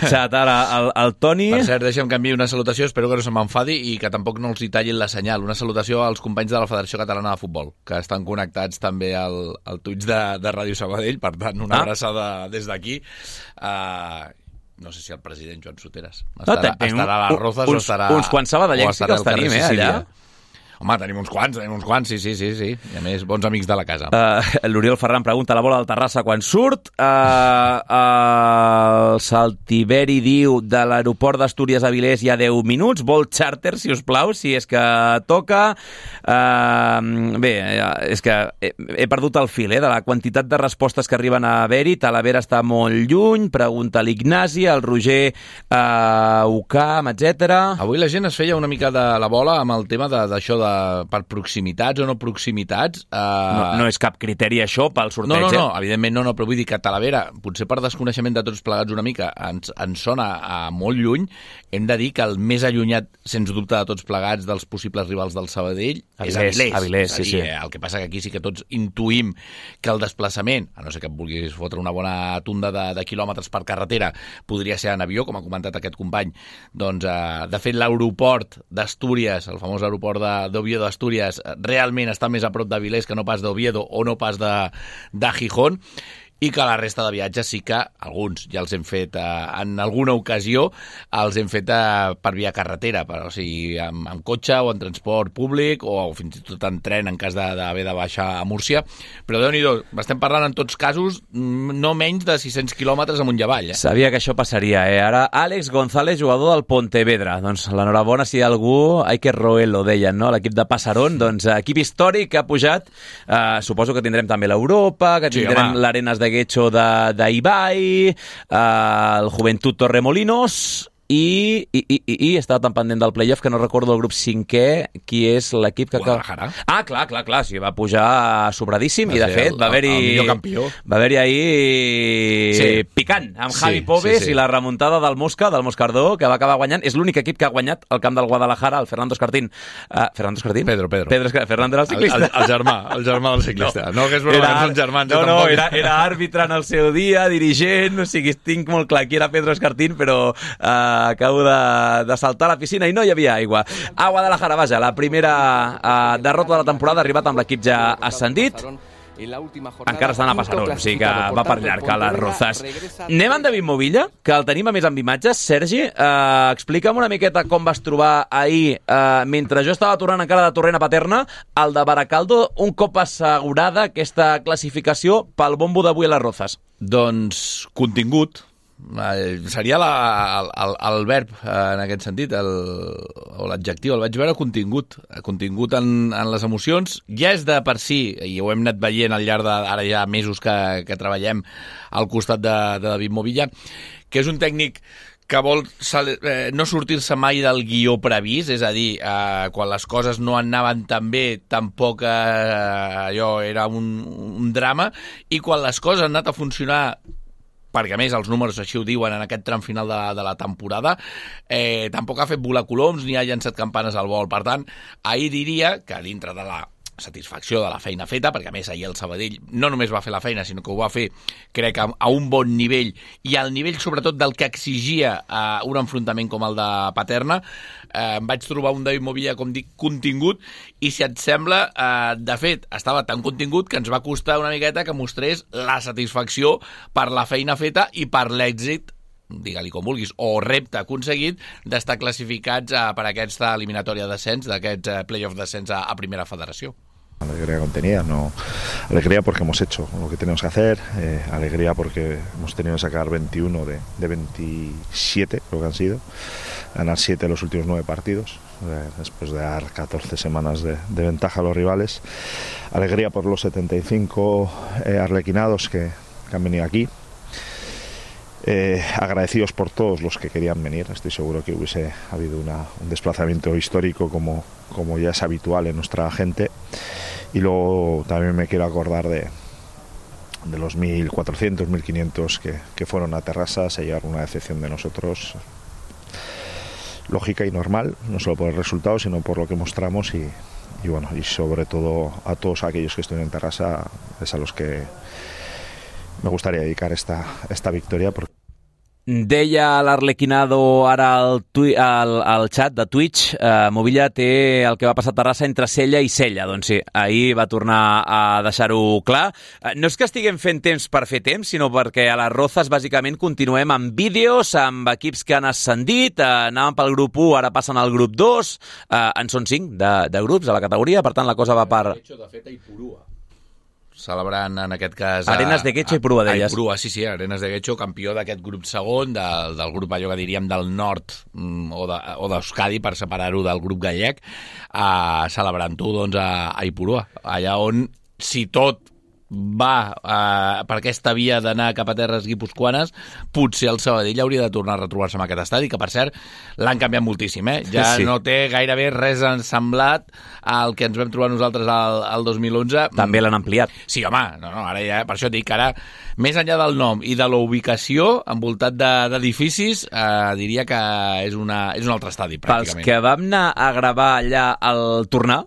xat ara el, el Toni. Per cert, deixa'm que enviï una salutació, espero que no se m'enfadi i que tampoc no els hi tallin la senyal. Una salutació als companys de la Federació Catalana de Futbol, que estan connectats també al, al Twitch de, de Ràdio Sabadell, per tant, una ah. abraçada des d'aquí. Uh, no sé si el president Joan Soteras estarà, no, estarà a les Rozas uns, o estarà... Uns quants sabadellencs sí que els tenim, eh, allà. Home, tenim uns quants, tenim uns quants, sí, sí, sí, sí. I a més, bons amics de la casa. Uh, L'Oriol Ferran pregunta la bola del Terrassa quan surt. Uh, uh, el Saltiberi diu de l'aeroport d'Astúries a Avilés hi ha deu minuts. Vol charter, si us plau, si és que toca. Uh, bé, és que he, he perdut el fil, eh, de la quantitat de respostes que arriben a haver-hi. Talavera està molt lluny, pregunta l'Ignasi, el Roger uh, Ucam, etcètera. Avui la gent es feia una mica de la bola amb el tema d'això de per proximitats o no proximitats. Uh... No, no és cap criteri això pel sorteig, no, no, no, eh? evidentment no, no, però vull dir que Talavera, potser per desconeixement de tots plegats una mica, ens, ens sona a molt lluny. Hem de dir que el més allunyat, sens dubte, de tots plegats dels possibles rivals del Sabadell Avilés, és Avilés. Avilés, és sí, dir, sí. El que passa que aquí sí que tots intuïm que el desplaçament, a no ser que et vulguis fotre una bona tunda de, de quilòmetres per carretera, podria ser en avió, com ha comentat aquest company. Doncs, uh, de fet, l'aeroport d'Astúries, el famós aeroport de d'Oviedo d'Astúries, realment està més a prop d'Avilés que no pas d'Oviedo o no pas de, de Gijón, i que la resta de viatges sí que alguns ja els hem fet eh, en alguna ocasió, els hem fet eh, per via carretera, per, o sigui, amb, amb cotxe o en transport públic o fins i tot en tren en cas d'haver de, de baixar a Múrcia. Però Déu-n'hi-do, estem parlant en tots casos no menys de sis-cents quilòmetres amunt i avall. Eh? Sabia que això passaria, eh? Ara Àlex González, jugador del Pontevedra. Doncs l'enhorabona si hi ha algú, hay que roerlo, deien, no? L'equip de Passarón, doncs equip històric que ha pujat. Eh, suposo que tindrem també l'Europa, que tindrem sí, l'Arenas de Guecho d'Ibai, eh, el Juventud Torremolinos i, i, i, i, i estava tan pendent del playoff que no recordo el grup cinquè qui és l'equip que... Guadalajara. Ah, clar, clar, clar, sí, va pujar sobradíssim i de fet va haver-hi... El millor campió. Va haver-hi ahir sí. picant amb Javi Sí, Pobes sí, sí. i la remuntada del Mosca, del Moscardó, que va acabar guanyant. És l'únic equip que ha guanyat el camp del Guadalajara, el Fernando Escartín. Uh, Fernando Escartín? Pedro, Pedro. Pedro Escar... Fernando era el ciclista. El, el, el germà, el germà del ciclista. No, no que és broma, Era- que són germans. No, jo no, tampoc. era, era àrbitre en el seu dia, dirigent, o sigui, tinc molt clar qui era Pedro Escartín, però uh, acabo de, de saltar a la piscina i no hi havia aigua. A Guadalajara, vaja, la primera uh, derrota de la temporada ha arribat amb l'equip ja ascendit. Encara estan a Passarón, o sigui que va per llarg a les Rozas. Anem amb David Movilla, que el tenim a més amb imatges. Sergi, eh, explica'm una miqueta com vas trobar ahir, eh, mentre jo estava tornant encara de Torrent a Paterna, el de Baracaldo, un cop assegurada aquesta classificació pel bombo d'avui a les Rozas. Doncs contingut. Eh, seria la, el, el, el verb eh, en aquest sentit, el, o l'adjectiu, el vaig veure contingut, contingut en, en les emocions. Ja és de per si, i ho hem anat veient al llarg de ara ja mesos que, que treballem al costat de, de David Movilla, que és un tècnic que vol sal, eh, no sortir-se mai del guió previst, és a dir, eh, quan les coses no anaven tan bé, tampoc eh, allò era un, un drama, i quan les coses han anat a funcionar, perquè a més els números així ho diuen en aquest tram final de, de la temporada, eh, tampoc ha fet volar coloms ni ha llançat campanes al vol. Per tant, ahir diria que dintre de la satisfacció de la feina feta, perquè a més ahir el Sabadell no només va fer la feina, sinó que ho va fer, crec, a, a un bon nivell, i al nivell sobretot del que exigia eh, un enfrontament com el de Paterna. Eh, em vaig trobar un David Movilla, com dic, contingut, i si et sembla, eh, de fet, estava tan contingut que ens va costar una miqueta que mostrés la satisfacció per la feina feta i per l'èxit, digue-li com vulguis, o repte aconseguit d'estar classificats eh, per aquesta eliminatòria d'ascens, d'aquest eh, playoff d'ascens a, a Primera Federació. Alegría contenida, no alegría porque hemos hecho lo que tenemos que hacer, eh, alegría porque hemos tenido que sacar veintiuno de, de veintisiete, creo que han sido, ganar siete de los últimos nueve partidos, eh, después de dar catorce semanas de, de ventaja a los rivales, alegría por los setenta y cinco eh, arlequinados que, que han venido aquí. Eh, agradecidos por todos los que querían venir. Estoy seguro que hubiese habido una, un desplazamiento histórico como, como ya es habitual en nuestra gente. Y luego también me quiero acordar de, de los mil cuatrocientos, mil quinientos que, que fueron a Terrassa, se llevaron una decepción de nosotros lógica y normal, no solo por el resultado sino por lo que mostramos, y, y bueno, y sobre todo a todos aquellos que estuvieron en Terrassa, es a los que me gustaría dedicar esta, esta victoria. Porque... Deia l'Arlequinado ara al, tui, al, al xat de Twitch, eh, Movilla té el que va passar a Terrassa entre Sella i Sella. Doncs sí, ahir va tornar a deixar-ho clar. Eh, no és que estiguem fent temps per fer temps, sinó perquè a les Rozas bàsicament continuem amb vídeos, amb equips que han ascendit, eh, anàvem pel grup u, ara passen al grup dos, eh, en són cinc de, de grups a la categoria, per tant la cosa va per... De fet, a Ipurua. Celebrant en aquest cas... Arenas de Guecho i Ipurua, deies. Ipurua, sí, sí, Arenas de Guecho, campió d'aquest grup segon, de, del grup allò que diríem del nord mm, o de, o d'Euskadi, per separar-ho del grup gallec, uh, celebrant-ho doncs, a, a Ipurua, allà on, si tot va uh, per aquesta via d'anar cap a terres guipuscoanes, potser el Sabadell hauria de tornar a retrobar-se en aquest estadi, que per cert l'han canviat moltíssim, eh? Ja sí. No té gairebé res semblat al que ens vam trobar nosaltres al, al dos mil onze. També l'han ampliat. Sí, home, no, no, ara ja, per això et dic que ara, més enllà del nom i de la ubicació, envoltat d'edificis, eh, diria que és, una, és un altre estadi, pràcticament. Pels que vam anar a gravar allà al tornar,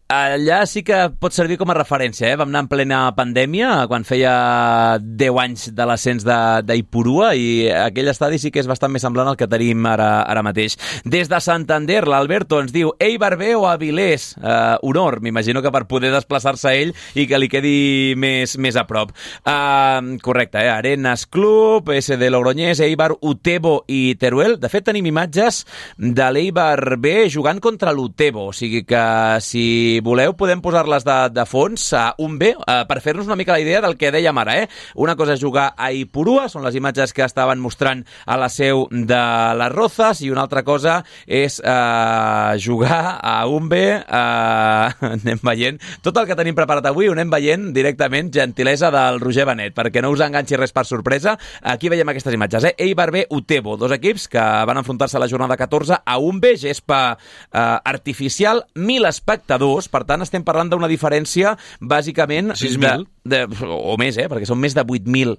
allà sí que pot servir com a referència, eh? Vam anar en plena pandèmia, quan feia deu anys de l'ascens d'Ipurua, i aquell estadi sí que és bastant més semblant al que tenim ara, ara mateix. Des de Santander, l'Alberto ens diu Eibar B o Avilés, uh, honor, m'imagino que per poder desplaçar-se ell i que li quedi més, més a prop. Uh, correcte, eh? Arenas Club, S D Logroñés, Eibar, Utebo i Teruel. De fet, tenim imatges de l'Eibar B jugant contra l'Utebo, o sigui que si voleu podem posar-les de, de fons a un B, uh, per fer-nos una mica la idea del que dèiem ara, eh? Una cosa és jugar a Ipurua, són les imatges que estaven mostrant a la seu de les Rozas, i una altra cosa és uh, jugar a un B, uh, anem veient, tot el que tenim preparat avui ho anem veient directament, gentilesa del Roger Benet, perquè no us enganxi res per sorpresa. Aquí veiem aquestes imatges, eh? Eibar B, Utebo, dos equips que van enfrontar-se a la jornada catorze a un B, gespa uh, artificial, mil espectadors, per tant estem parlant d'una diferència bàsicament sis mil de, de, o més, eh? Perquè són més de vuit mil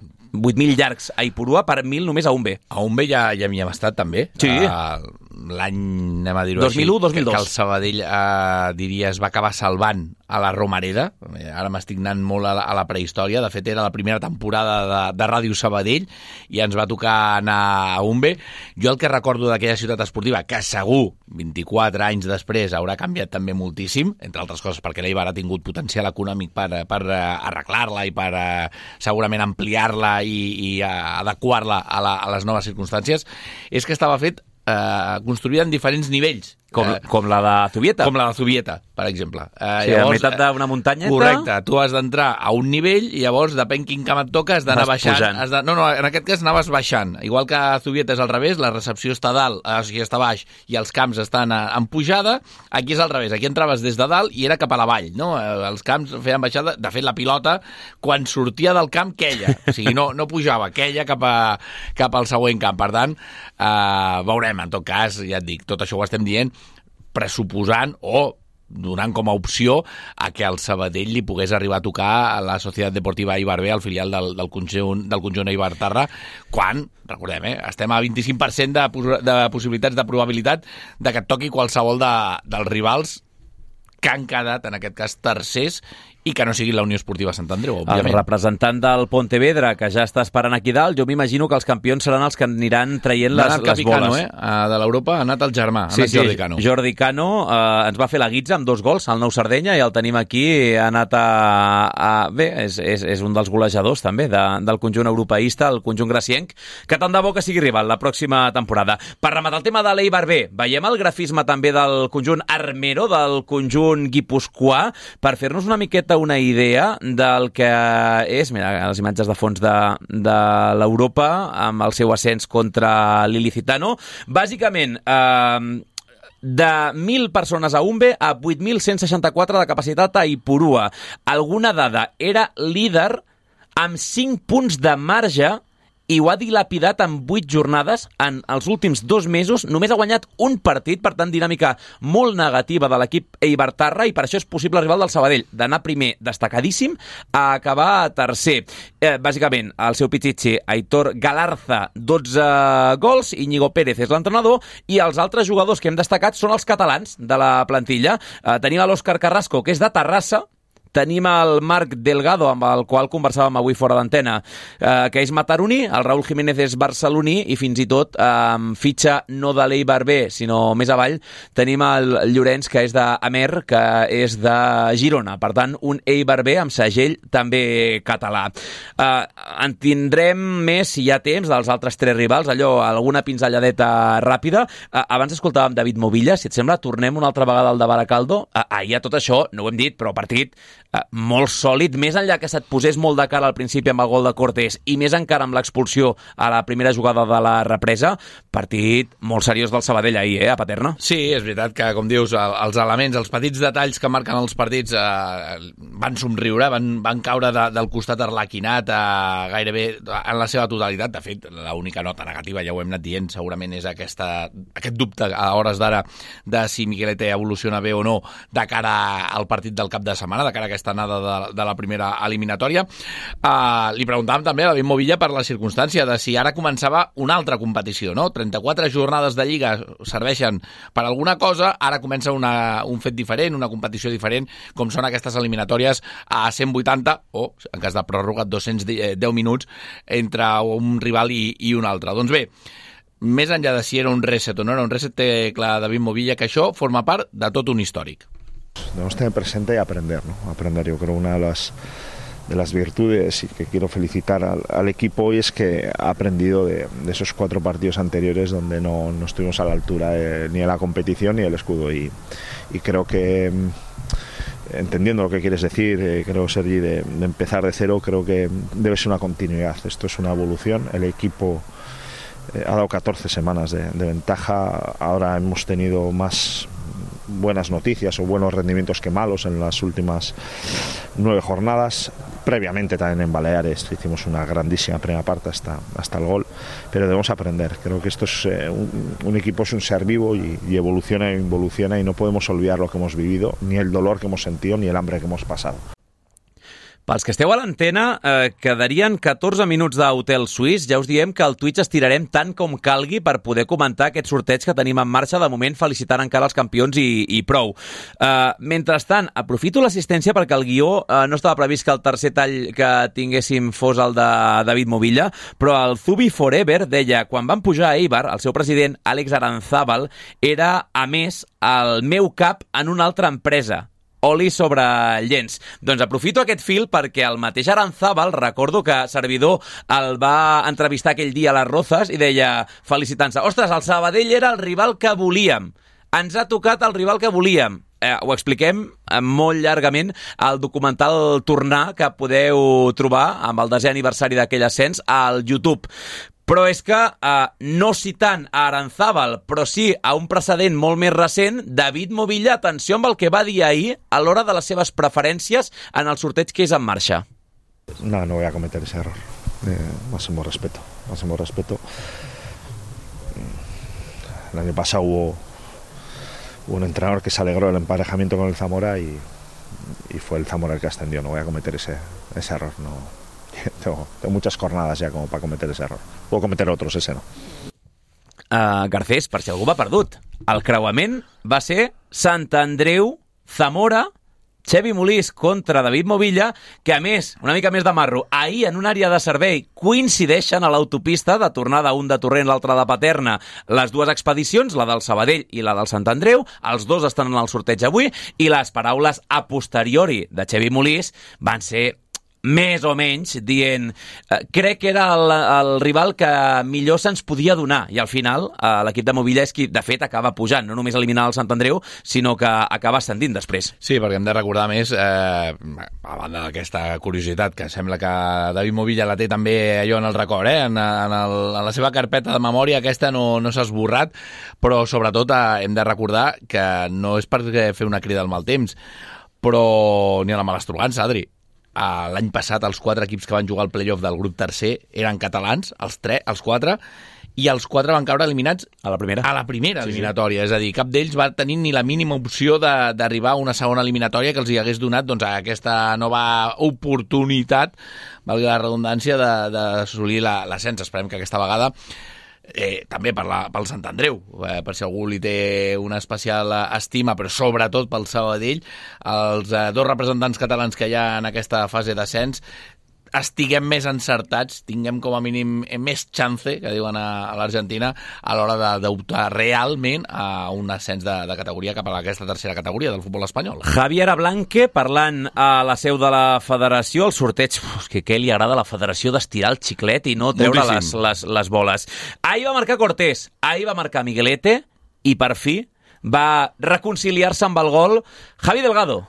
llargs a Ipurua per mil només a un B. A un B ja, ja hi hem estat també. Sí. Uh, l'any, anem a dir-ho dos mil u dos mil dos. Que el Sabadell, uh, diria, es va acabar salvant a la Romareda. Ara m'estic anant molt a la, a la prehistòria. De fet, era la primera temporada de, de Ràdio Sabadell i ens va tocar anar a un B. Jo el que recordo d'aquella ciutat esportiva, que segur vint-i-quatre anys després haurà canviat també moltíssim, entre altres coses perquè l'Eibar ha tingut potencial econòmic per, per arreglar-la i per segurament ampliar-la i, i adequar-la a, la, a les noves circumstàncies, és que estava fet eh, construïda en diferents nivells. Com, eh, com la de Zubieta. Com la de Zubieta, per exemple. Eh, sí, llavors, a meitat d'una muntanyeta. Correcte, tu has d'entrar a un nivell i llavors, depèn quin camp et toca, has d'anar baixant. Has de, no, no, en aquest cas anaves baixant. Igual que a Zubieta és al revés, la recepció està a dalt, o sigui, està a baix, i els camps estan a, en pujada. Aquí és al revés, aquí entraves des de dalt i era cap a la vall, no? Els camps feien baixada. De fet, la pilota, quan sortia del camp, queia. O sigui, no, no pujava, queia cap, a, cap al següent camp. Per tant, eh, veurem, en tot cas, ja et dic, tot això ho estem dient, pressuposant o donant com a opció a que el Sabadell li pogués arribar a tocar a la Societat Deportiva Eibar B, el filial del, del conjunt, del conjunt Eibar-Terra, quan, recordem, eh, estem a vint-i-cinc per cent de, de possibilitats, de probabilitat de que et toqui qualsevol de, dels rivals que han quedat, en aquest cas, tercers, i que no sigui la Unió Esportiva Sant Andreu, òbviament. El representant del Pontevedra, que ja està esperant aquí dalt, jo m'imagino que els campions seran els que aniran traient les, les Capicano, boles. Eh? De l'Europa ha anat el germà, ha sí, anat sí, Jordi Cano. Jordi Cano eh, ens va fer la guitza amb dos gols al Nou Sardenya i el tenim aquí, ha anat a... a bé, és, és, és un dels golejadors també de, del conjunt europeista, el conjunt gracienc, que tant de bo que sigui rival la pròxima temporada. Per rematar el tema de l'Eibar B, veiem el grafisme també del conjunt armero, del conjunt guipuscoà, per fer-nos una miqueta una idea del que és, mira, les imatges de fons de, de l'Europa amb el seu ascens contra l'Ilicitano. Bàsicament, eh, de mil persones a un B a vuit mil cent seixanta-quatre de capacitat a Ipurua. Alguna dada, era líder amb cinc punts de marge i ho ha dilapidat en vuit jornades en els últims dos mesos. Només ha guanyat un partit, per tant, dinàmica molt negativa de l'equip Eibar-Terra, i per això és possible rival del Sabadell, d'anar primer destacadíssim a acabar tercer. Eh, bàsicament, el seu pitxitxi, Aitor Galarza, dotze gols, Íñigo Pérez és l'entrenador, i els altres jugadors que hem destacat són els catalans de la plantilla. Eh, tenim l'Òscar Carrasco, que és de Terrassa, tenim el Marc Delgado, amb el qual conversàvem avui fora d'antena, eh, que és mataroní, el Raúl Jiménez és barceloní, i fins i tot eh, fitxa no de l'Eibar B, sinó més avall, tenim el Llorenç, que és d'Amer, que és de Girona. Per tant, un Eibar B amb segell també català. Eh, en tindrem més, si hi ha temps, dels altres tres rivals, allò, alguna pinzelladeta ràpida. Eh, abans escoltàvem David Movilla, si et sembla, tornem una altra vegada al de Baracaldo. Eh, ahir a tot això, no ho hem dit, però partit Uh, molt sòlid, més enllà que se't posés molt de cara al principi amb el gol de Cortés i més encara amb l'expulsió a la primera jugada de la represa, partit molt seriós del Sabadell ahir, eh, a Paterna. Sí, és veritat que, com dius, els elements, els petits detalls que marquen els partits eh, van somriure, van, van caure de, del costat arlequinat eh, gairebé en la seva totalitat. De fet, l'única nota negativa, ja ho hem anat dient, segurament és aquesta, aquest dubte a hores d'ara de si Miquelete evoluciona bé o no de cara al partit del cap de setmana, de cara a aquesta anada de, de la primera eliminatòria. Uh, li preguntàvem també a David Movilla per la circumstància de si ara començava una altra competició, no? trenta-quatre jornades de Lliga serveixen per alguna cosa, ara comença una, un fet diferent, una competició diferent, com són aquestes eliminatòries a cent vuitanta, o, en cas de pròrroga, dos-cents deu minuts entre un rival i, i un altre. Doncs bé, més enllà de si era un reset o no era un reset, té clar David Movilla que això forma part de tot un històric. Debemos tener presente y aprender, ¿no? Aprender, yo creo, una de las, de las virtudes y que quiero felicitar al, al equipo hoy es que ha aprendido de, de esos cuatro partidos anteriores donde no, no estuvimos a la altura de, ni de la competición ni del escudo, y, y creo que entendiendo lo que quieres decir, eh, creo, Sergi, de, de empezar de cero, creo que debe ser una continuidad. Esto es una evolución. El equipo eh, ha dado catorce semanas de, de ventaja. Ahora hemos tenido más buenas noticias o buenos rendimientos que malos en las últimas nueve jornadas. Previamente también en Baleares hicimos una grandísima primera parte hasta, hasta el gol, pero debemos aprender. Creo que esto es eh, un, un equipo es un ser vivo y, y evoluciona e involuciona, y no podemos olvidar lo que hemos vivido, ni el dolor que hemos sentido, ni el hambre que hemos pasado. Pels que esteu a l'antena, eh, quedarien catorze minuts d'Hotel Suís. Ja us diem que al Twitch estirarem tant com calgui per poder comentar aquest sorteig que tenim en marxa. De moment, felicitant encara els campions i, i prou. Eh, mentrestant, aprofito l'assistència perquè el guió eh, no estava previst que el tercer tall que tinguéssim fos el de David Movilla, però el Zubi Forever deia: quan van pujar a Eibar, el seu president, Àlex Aranzábal, era, a més, el meu cap en una altra empresa. Oli sobre llenç. Doncs aprofito aquest fil perquè el mateix Aranzábal, recordo que Servidor el va entrevistar aquell dia a les Rozas i deia, felicitant-se: ostres, el Sabadell era el rival que volíem. Ens ha tocat el rival que volíem. Eh, ho expliquem molt llargament al documental Tornar, que podeu trobar amb el desè aniversari d'aquell ascens al YouTube. Però és que, eh, no citant a Aranzábal, però sí a un precedent molt més recent, David Movilla, atenció amb el que va dir ahir a l'hora de les seves preferències en el sorteig que és en marxa. No, no voy a cometer ese error. Eh, máximo respeto, máximo respeto. El año pasado hubo, hubo un entrenador que se alegró del emparejamiento con el Zamora y, y fue el Zamora el que ascendió. No voy a cometer ese, ese error, no. Tengo, tengo muchas jornadas ya como para cometer ese error. Puedo cometer otros, ese no. Uh, Garcés, per si algú va perdut, el creuament va ser Sant Andreu, Zamora, Xevi Molís contra David Movilla, que a més, una mica més de marro, ahir en una àrea de servei coincideixen a l'autopista de tornada, un de Torrent, l'altre de Paterna, les dues expedicions, la del Sabadell i la del Sant Andreu. Els dos estan en el sorteig avui i les paraules a posteriori de Xevi Molís van ser més o menys dient eh, crec que era el, el rival que millor se'ns podia donar, i al final eh, l'equip de Movilla és qui de fet acaba pujant, no només eliminar el Sant Andreu, sinó que acaba ascendint després. Sí, perquè hem de recordar més, eh, a banda d'aquesta curiositat que sembla que David Movilla la té també allò en el record, eh? en, en, el, en la seva carpeta de memòria aquesta no, no s'ha esborrat, però sobretot eh, hem de recordar que no és per fer una crida al mal temps, però ni a la malastrugança, Adri. Uh, l'any passat els quatre equips que van jugar al playoff del grup tercer eren catalans, els, tres, els quatre, i els quatre van caure eliminats a la primera, a la primera sí, eliminatòria, sí. És a dir, cap d'ells va tenir ni la mínima opció d'arribar a una segona eliminatòria que els hi hagués donat doncs, aquesta nova oportunitat, valgui la redundància, d'assolir l'ascens. Esperem que aquesta vegada Eh, també per la, pel Sant Andreu, eh, per si algú li té una especial estima, però sobretot pel Sabadell, els eh, dos representants catalans que hi ha en aquesta fase d'ascens estiguem més encertats, tinguem com a mínim més chance, que diuen a, a l'Argentina, a l'hora d'optar realment a un ascens de, de categoria cap a aquesta tercera categoria del futbol espanyol. Javier Ablanque, parlant a la seu de la federació, el sorteig, uf, que què li agrada a la federació d'estirar el xiclet i no treure les, les, les boles. Ahir va marcar Cortés, ahir va marcar Miguelete i per fi va reconciliar-se amb el gol Javi Delgado.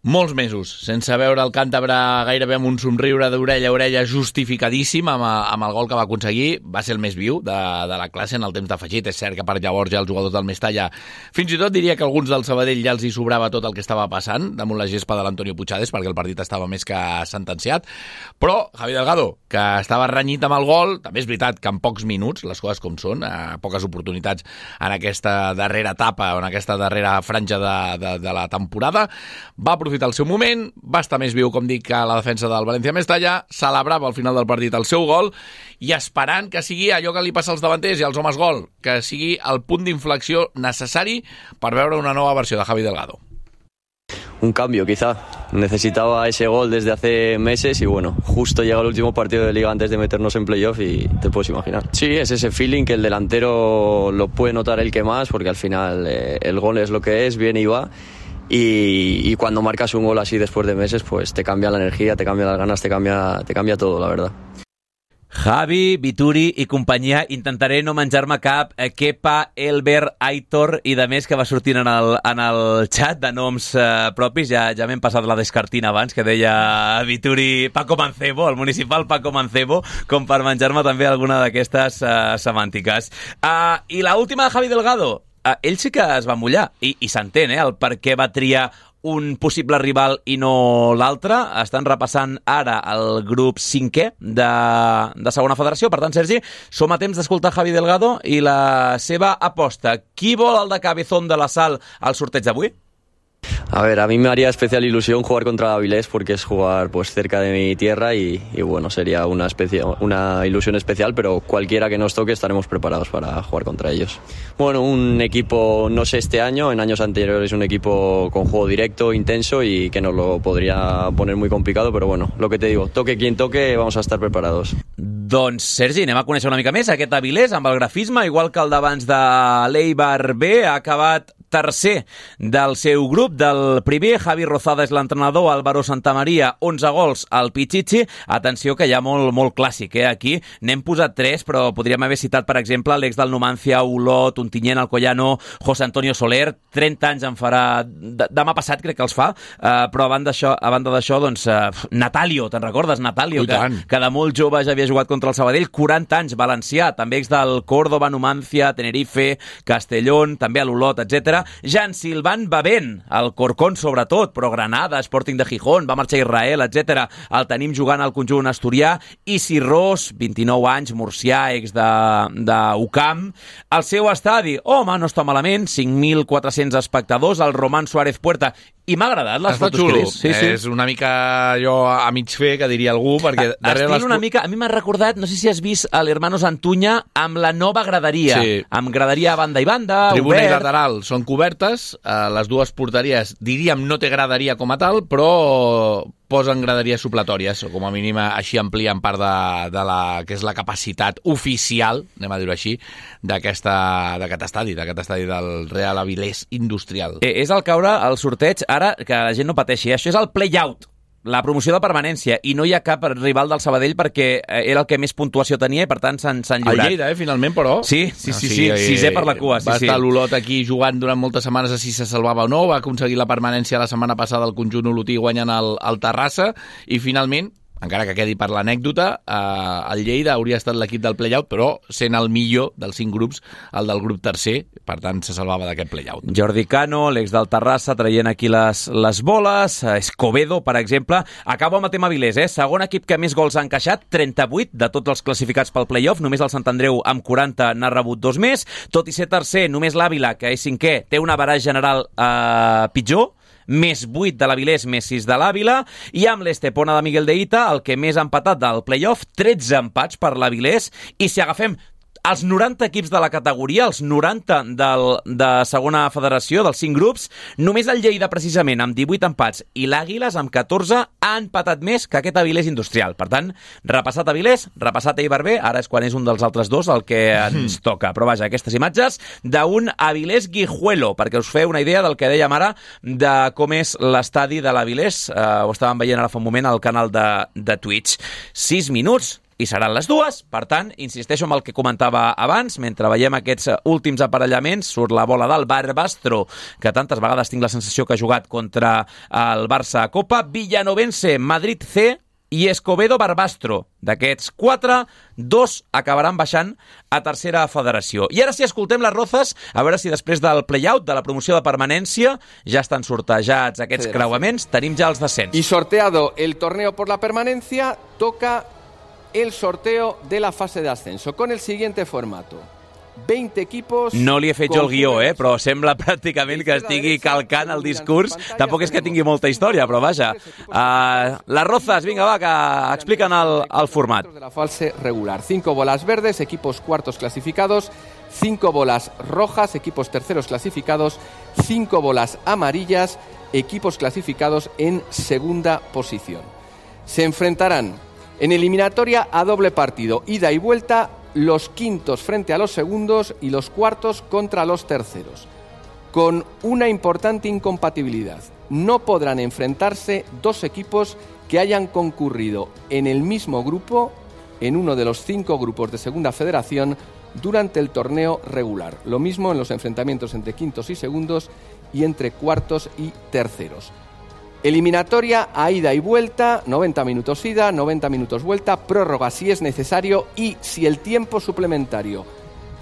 Molts mesos, sense veure el càntabre gairebé amb un somriure d'orella a orella justificadíssim amb, amb el gol que va aconseguir. Va ser el més viu de, de la classe en el temps d'afegit. És cert que per llavors ja els jugadors del Mestalla, fins i tot diria que alguns del Sabadell ja els hi sobrava tot el que estava passant damunt la gespa de l'Antonio Puigades, perquè el partit estava més que sentenciat. Però Javi Delgado, que estava renyit amb el gol, també és veritat que en pocs minuts, les coses com són, a poques oportunitats en aquesta darrera etapa o en aquesta darrera franja de, de, de la temporada, va aprofitar el seu moment, va estar més viu, com dic, que la defensa del València Mestalla, celebrava al final del partit el seu gol i esperant que sigui allò que li passa als davanters i als homes gol, que sigui el punt d'inflexió necessari per veure una nova versió de Javi Delgado. Un cambio, quizá. Necesitaba ese gol desde hace meses y bueno, justo llega el último partido de Liga antes de meternos en playoff y te puedes imaginar. Sí, es ese feeling que el delantero lo puede notar el que más, porque al final eh, el gol es lo que es, viene y va. Y, y cuando marcas un gol así después de meses, pues te cambia la energía, te cambia las ganas, te cambia, te cambia todo, la verdad. Javi, Vituri i companyia, intentaré no menjar-me cap eh, Kepa, Elber, Aitor i de més que va sortint en el, en el xat de noms eh, propis. Ja, ja m'hem passat la descartina abans, que deia Vituri Paco Mancebo, el municipal Paco Mancebo, com per menjar-me també alguna d'aquestes eh, semàntiques. Uh, I la última de Javi Delgado, uh, ell sí que es va mullar, i, i s'entén, eh, el per què va triar un possible rival i no l'altre. Estan repassant ara el grup cinquè de, de segona federació. Per tant, Sergi, som a temps d'escoltar Javi Delgado i la seva aposta. Qui vol el de Cabezón de la Sal al sorteig d'avui? A ver, a mí me haría especial ilusión jugar contra Avilés porque es jugar pues cerca de mi tierra y, y bueno, sería una, especie, una ilusión especial, pero cualquiera que nos toque estaremos preparados para jugar contra ellos. Bueno, un equipo, no sé este año, en años anteriores un equipo con juego directo, intenso y que nos lo podría poner muy complicado, pero bueno, lo que te digo, toque quien toque, vamos a estar preparados. Doncs, Sergi, anem a conèixer una mica més aquest Avilés amb el grafisme, igual que el d'abans de l'Eibar B, ha acabat tercer del seu grup, del primer. Javi Rozada és l'entrenador, Álvaro Santamaría, onze gols al Pichichi. Atenció que hi ha molt, molt clàssic, eh? Aquí n'hem posat tres, però podríem haver citat, per exemple, l'ex del Numancia, Olot, Ontinyent, Alcoyano, José Antonio Soler, trenta anys en farà, demà passat crec que els fa, uh, però a banda d'això, a banda d'això, doncs, uh, Natalio, te'n recordes, Natalio, que, que de molt jove ja havia jugat contra el Sabadell, quaranta anys, valencià, també ex del Córdoba, Numancia, Tenerife, Castellón, també a l'Olot, etcètera. Jan Silvan Bavent, el Corcón sobretot, però Granada, Sporting de Gijón, va marxar a Israel, etcètera. El tenim jugant al conjunt asturià. Isi Ros, vint-i-nou anys, murcià, ex de, de U C A M. El seu estadi, home, no està malament, cinc mil quatre-cents espectadors, el Román Suárez Puerta. I m'ha agradat les Està fotos xulo. que és. Sí, sí. És una mica jo a mig fer, que diria algú, perquè darrere Estil les... una mica, a mi m'ha recordat, no sé si has vist l'Hermanos Antuña amb la nova graderia, Sí. amb graderia a banda i banda, Tribuna i obert. lateral són cobertes, eh, les dues porteries, diríem, no té graderia com a tal, però posen graderies supletòries, o com a mínim així amplien part de, de la que és la capacitat oficial, anem a dir-ho així, d'aquesta d'aquest estadi, d'aquest estadi del Real Avilés Industrial. Eh, és el caure al sorteig, ara que la gent no pateixi, això és el play-out, la promoció de permanència, i no hi ha cap rival del Sabadell perquè era el que més puntuació tenia i per tant s'han lliurat. El Lleida, eh, finalment, però... Sí, sí, sí, sí, sí sisè per la cua. Sí, va sí. estar l'Olot aquí jugant durant moltes setmanes a si se salvava o no, va aconseguir la permanència la setmana passada al conjunt olotí guanyant el, el Terrassa, i finalment, encara que quedi per l'anècdota, eh, el Lleida hauria estat l'equip del play-out, però sent el millor dels cinc grups, el del grup tercer, per tant se salvava d'aquest play-out. Jordi Cano, l'ex del Terrassa, traient aquí les, les boles. Escobedo, per exemple. Acabo amb el tema Avilés, eh? Segon equip que més gols ha encaixat, trenta-vuit de tots els classificats pel play-off. Només el Sant Andreu amb quaranta n'ha rebut dos més. Tot i ser tercer, només l'Àvila, que és cinquè, té una baralla general eh, pitjor, més vuit de l'Avilés, més sis de l'Àvila, i amb l'Estepona de Miguel de Ita, el que més ha empatat del play-off, tretze empats per l'Avilés, i si agafem els noranta equips de la categoria, els noranta del, de segona federació, dels cinc grups, només el Lleida, precisament, amb divuit empats, i l'Àguiles, amb catorze, ha empatat més que aquest Avilés Industrial. Per tant, repassat Avilés, repassat Eibar B, ara és quan és un dels altres dos el que ens toca. Però vaja, aquestes imatges d'un Avilés Guijuelo, perquè us feu una idea del que dèiem ara de com és l'estadi de l'Avilés. Uh, ho estàvem veient ara fa un moment al canal de, de Twitch. Sis minuts, i seran les dues. Per tant, insisteixo amb el que comentava abans, mentre veiem aquests últims aparellaments, surt la bola del Barbastro, que tantes vegades tinc la sensació que ha jugat contra el Barça a Copa, Villanovense, Madrid C i Escobedo Barbastro. D'aquests quatre, dos acabaran baixant a tercera federació. I ara sí, escoltem les Rozas, a veure si després del play-out, de la promoció de permanència, ja estan sortejats aquests Federación. creuaments, tenim ja els descens. Y sorteado el torneo por la permanencia, toca el sorteo de la fase de ascenso con el siguiente formato. veinte equipos... No li he fet jo el guió, eh? Però sembla pràcticament que estigui calcant el discurs. Tampoc és que tingui molta història, però vaja. Uh, les Rozas, vinga, va, que expliquen el, el format. De la fase regular. Cinco bolas verdes, equipos cuartos clasificados. Cinco bolas rojas, equipos terceros clasificados. Cinco bolas amarillas, equipos clasificados en segunda posición. Se enfrentarán en eliminatoria a doble partido, ida y vuelta, los quintos frente a los segundos y los cuartos contra los terceros. Con una importante incompatibilidad. No podrán enfrentarse dos equipos que hayan concurrido en el mismo grupo en uno de los cinco grupos de Segunda Federación durante el torneo regular. Lo mismo en los enfrentamientos entre quintos y segundos y entre cuartos y terceros. Eliminatoria a ida y vuelta, noventa minutos ida, noventa minutos vuelta, prórroga si es necesario y si el tiempo suplementario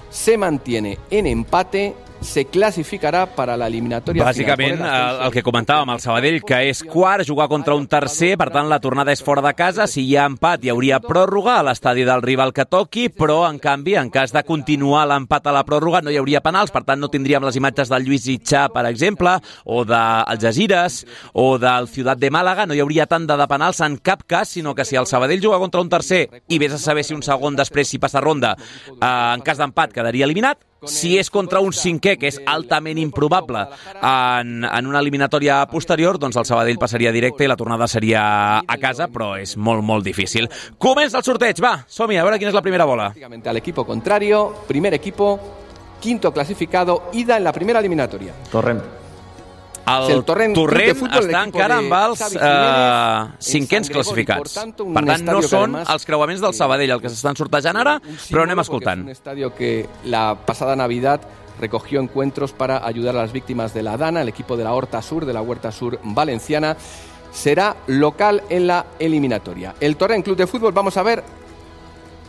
se mantiene en empate, se classificarà per a l'eliminatòria Bàsicament, el, el que comentàvem, el Sabadell, que és quart, jugar contra un tercer, per tant, la tornada és fora de casa. Si hi ha empat, hi hauria pròrroga a l'estadi del rival que toqui, però, en canvi, en cas de continuar l'empat a la pròrroga, no hi hauria penals, per tant, no tindríem les imatges del Lluís Itxà, per exemple, o del Algesires, o del Ciutat de Màlaga, no hi hauria tant de penals en cap cas, sinó que si el Sabadell juga contra un tercer i vés a saber si un segon després, si passa ronda, eh, en cas d'empat, quedaria eliminat. Si és contra un cinquè, que és altament improbable en, en una eliminatòria posterior, doncs el Sabadell passaria directe i la tornada seria a casa, però és molt, molt difícil. Comença el sorteig, va, som-hi, a veure quina és la primera bola. Al equipo contrario, primer equipo, quinto clasificado, ida en la primera eliminatoria. Torrent. El Torrent, Torrent està encara amb els eh, cinquens classificats. Per tant, no són els creuaments del Sabadell el que s'estan sortejant ara, però anem escoltant. Un estadio que la pasada Navidad recogió encuentros para ayudar a las víctimas de la Dana. El equipo de la Horta Sur, de la Huerta Sur valenciana, será local en la eliminatoria. El Torrent Club de Fútbol, vamos a ver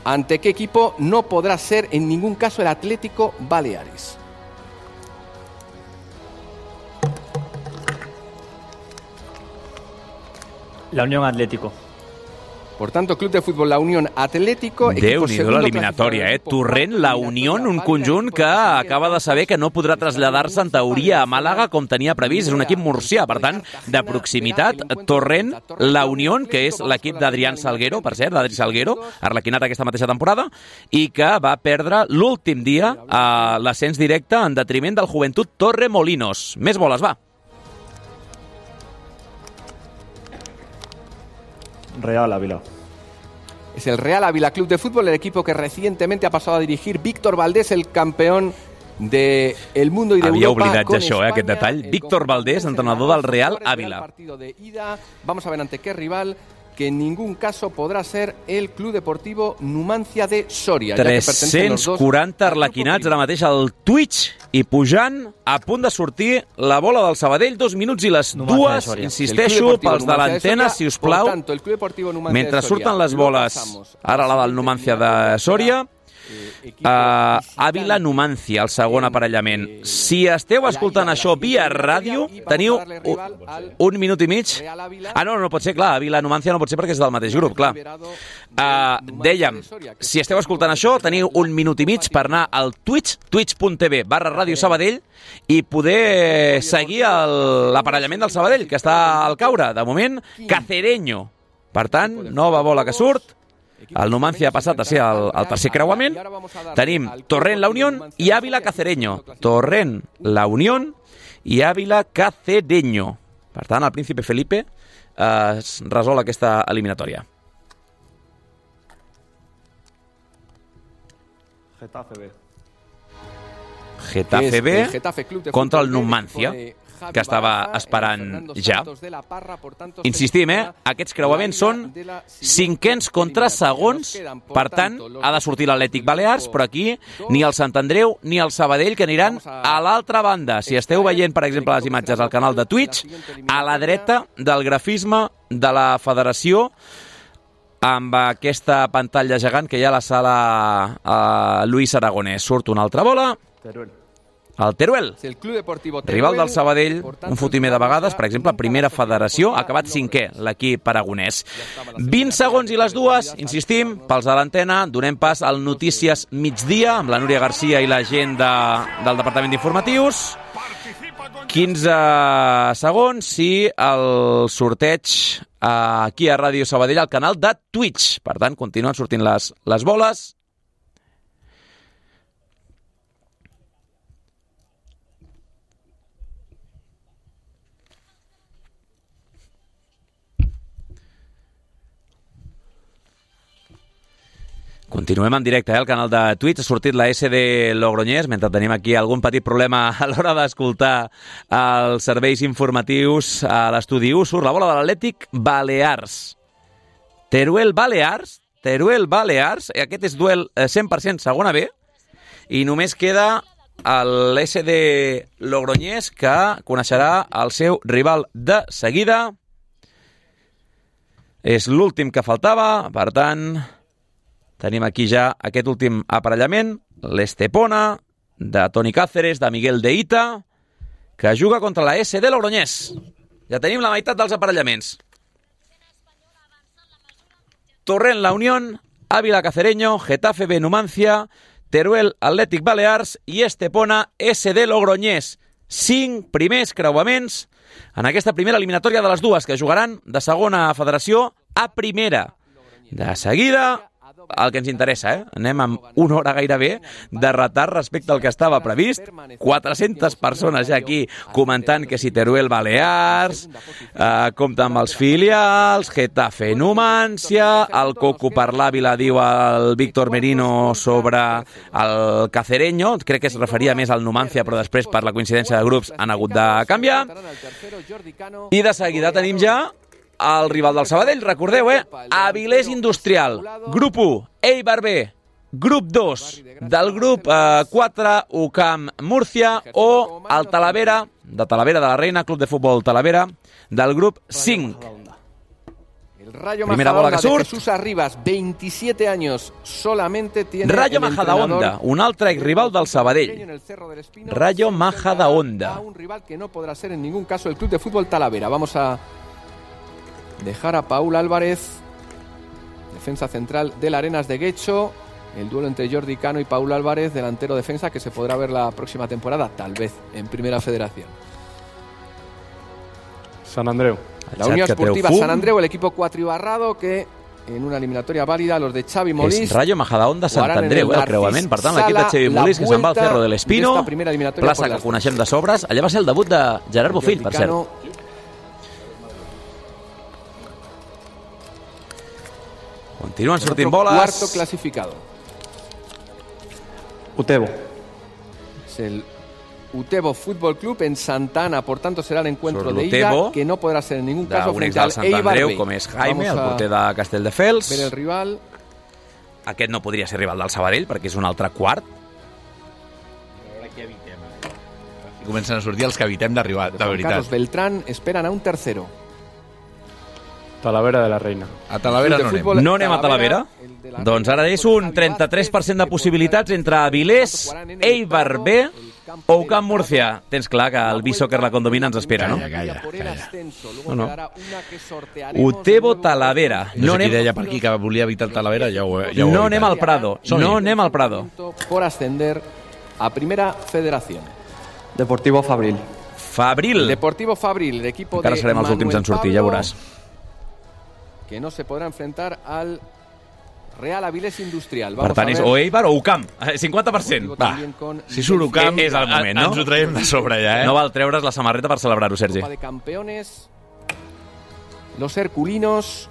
ante qué equipo no podrá ser en ningún caso el Atlético Baleares. La Unión Atlético. Por tanto, Club de Fútbol La Unión Atlético... Déu-n'hi-do l'eliminatòria, eh? Torrent, La Unión, un conjunt que acaba de saber que no podrà traslladar-se en teoria a Màlaga com tenia previst. És un equip murcià, per tant, de proximitat. Torrent, La Unión, que és l'equip d'Adrián Salguero, per cert, d'Adri Salguero, arlequinat aquesta mateixa temporada, i que va perdre l'últim dia a l'ascens directe en detriment del Joventut Torremolinos. Més boles, va. Real Ávila. Es el Real Ávila Club de Fútbol, el equipo que recientemente ha pasado a dirigir Víctor Valdés, el campeón del de mundo y de Havia Europa. Havia oblidat això, eh, aquest detall. Víctor Valdés, entrenador del Real Ávila. Vamos a ver ante qué rival, que en ningún caso podrá ser el Club Deportivo Numancia de Soria. tres-cents quaranta arlequinats ara mateix al Twitch i pujant, a punt de sortir la bola del Sabadell, dos minuts i les dues, insisteixo, pels de l'antena, si us plau, mentre surten les boles, ara la del Numancia de Soria, Uh, Ávila Numancia, el segon aparellament. Si esteu escoltant això via ràdio, teniu un, un minut i mig. Ah, no, no pot ser, clar, Ávila Numancia no pot ser perquè és del mateix grup, clar. Uh, dèiem, si esteu escoltant això, teniu un minut i mig per anar al Twitch, twitch.tv barra Ràdio Sabadell, i poder seguir l'aparellament del Sabadell, que està al caure. De moment, Cacereño. Per tant, nova bola que surt. El Numancia ha passat a ser el, el tercer creuament. Tenim Torrent, La Unión i Ávila Cacereño. Torrent, La Unión i Ávila Cacereño. Per tant, el Príncipe Felipe eh, es resol aquesta eliminatòria. Getafe B. Getafe B contra el Numancia, que estava esperant ja. Insistim, eh? Aquests creuaments són cinquens contra segons, per tant, ha de sortir l'Atlètic Balears, però aquí ni el Sant Andreu ni el Sabadell, que aniran a l'altra banda. Si esteu veient, per exemple, les imatges al canal de Twitch, a la dreta del grafisme de la federació, amb aquesta pantalla gegant que hi ha a la sala uh, Luis Aragonès. Surt una altra bola. El Teruel, rival del Sabadell, un fotimer de vegades, per exemple, primera federació, ha acabat cinquè, l'equip aragonès. vint segons i les dues, insistim, pels de l'antena, donem pas al Notícies Migdia, amb la Núria Garcia i la gent de, del Departament d'Informatius. quinze segons i el sorteig aquí a Ràdio Sabadell, al canal de Twitch. Per tant, continuen sortint les, les boles. Continuem en directe, eh, al canal de Twitch. Ha sortit la S D Logroñés, mentre tenim aquí algun petit problema a l'hora d'escoltar els serveis informatius a l'estudi u. Surt la bola de l'Atlètic Balears. Teruel Balears, Teruel Balears, aquest és duel cent per cent segona B, i només queda l'S D Logroñés, que coneixerà el seu rival de seguida. És l'últim que faltava, per tant, tenim aquí ja aquest últim aparellament, l'Estepona, de Toni Cáceres, de Miguel de Ita, que juga contra la S D Logroñés. Ja tenim la meitat dels aparellaments. Torrent La Unión, Ávila Cacereño, Getafe B Numancia, Teruel Athletic Balears i Estepona S D Logroñés. Cinc primers creuaments en aquesta primera eliminatòria de les dues, que jugaran de segona federació a primera. De seguida, el que ens interessa, eh? Anem amb una hora gairebé de retard respecte al que estava previst. quatre-centes persones ja aquí comentant que si Teruel Balears, eh, compta amb els filials, Getafe Numancia, el Coco per l'Àvila diu el Víctor Merino sobre el Cacereño, crec que es referia més al Numancia, però després per la coincidència de grups han hagut de canviar. I de seguida tenim ja el rival del Sabadell, recordeu, eh? Avilés Industrial, grup u, Eibar B, grup dos, del grup eh, quatre, U C A M Murcia, o el Talavera, de Talavera de la Reina, Club de Futbol Talavera, del grup cinc. El Rayo Primera bola que surt. de Jesús Arribas, veintisiete años, solamente tiene Rayo el Majadahonda, un altre rival del Sabadell. Rayo Majadahonda. Un rival que no podrá ser en ningún caso el Club de Fútbol Talavera. Vamos a dejar a Paul Álvarez, defensa central del Arenas de Guecho, el duelo entre Jordi Cano y Paul Álvarez, delantero defensa, que se podrá ver la próxima temporada, tal vez, en Primera Federación. Sant Andreu. La Unión Esportiva Sant Andreu, el equipo cuatribarrado, que en una eliminatoria válida, los de Xavi Molís... És Rayo Majadahonda Sant Andreu, el creuament. Per tant, l'equip de Xavi Molís, que se'n va al Cerro de l'Espino, plaça que coneixem de sobres. Allà va ser el debut de Gerard Bofill, per cert. Continúan sortint bolas. Cuarto clasificado. Utebo. Es el Utebo Fútbol Club en Santana, por tanto será el encuentro Surt de ida, l'Utebo, que no podrá ser en ningún caso d'un ex frente del al Sant Eibar Andreu, B. com és Jaime, el Vamos a porter de Castelldefels. ver el rival. Aquest no podria ser rival del Sabadell, perquè és un altre quart. Comencen a sortir els que evitem d'arribar, de Juan veritat. Carlos Beltrán esperan a un tercero. Talavera de la Reina. A Talavera no anem. No anem a Talavera? Doncs ara és un trenta-tres per cent de possibilitats entre Avilés, Eibar B o U C A M Murcia. Tens clar que el B-Soccer la condomina ens espera, no? Calla, calla. No, no. Utebo Talavera. No, No sé qui anem, deia per aquí que volia evitar el Talavera, ja ho, ja ho no he anem evitat. al Prado. No anem al Prado. Por ascender a Primera Federación. Deportivo Fabril. Fabril. Deportivo Fabril, el equipo Encara de serem els últims en sortir, ja veuràs. que no se podrá enfrentar al Real Avilés Industrial. Per Vamos tant, a és ver. o Eibar o U C A M. cinquanta per cent. Va, Si surt U C A M, és el moment, no? Ens ho traiem de sobre ja, eh? No val treure's la samarreta per celebrar-ho, Sergi. Copa de Campeones. Los Herculinos.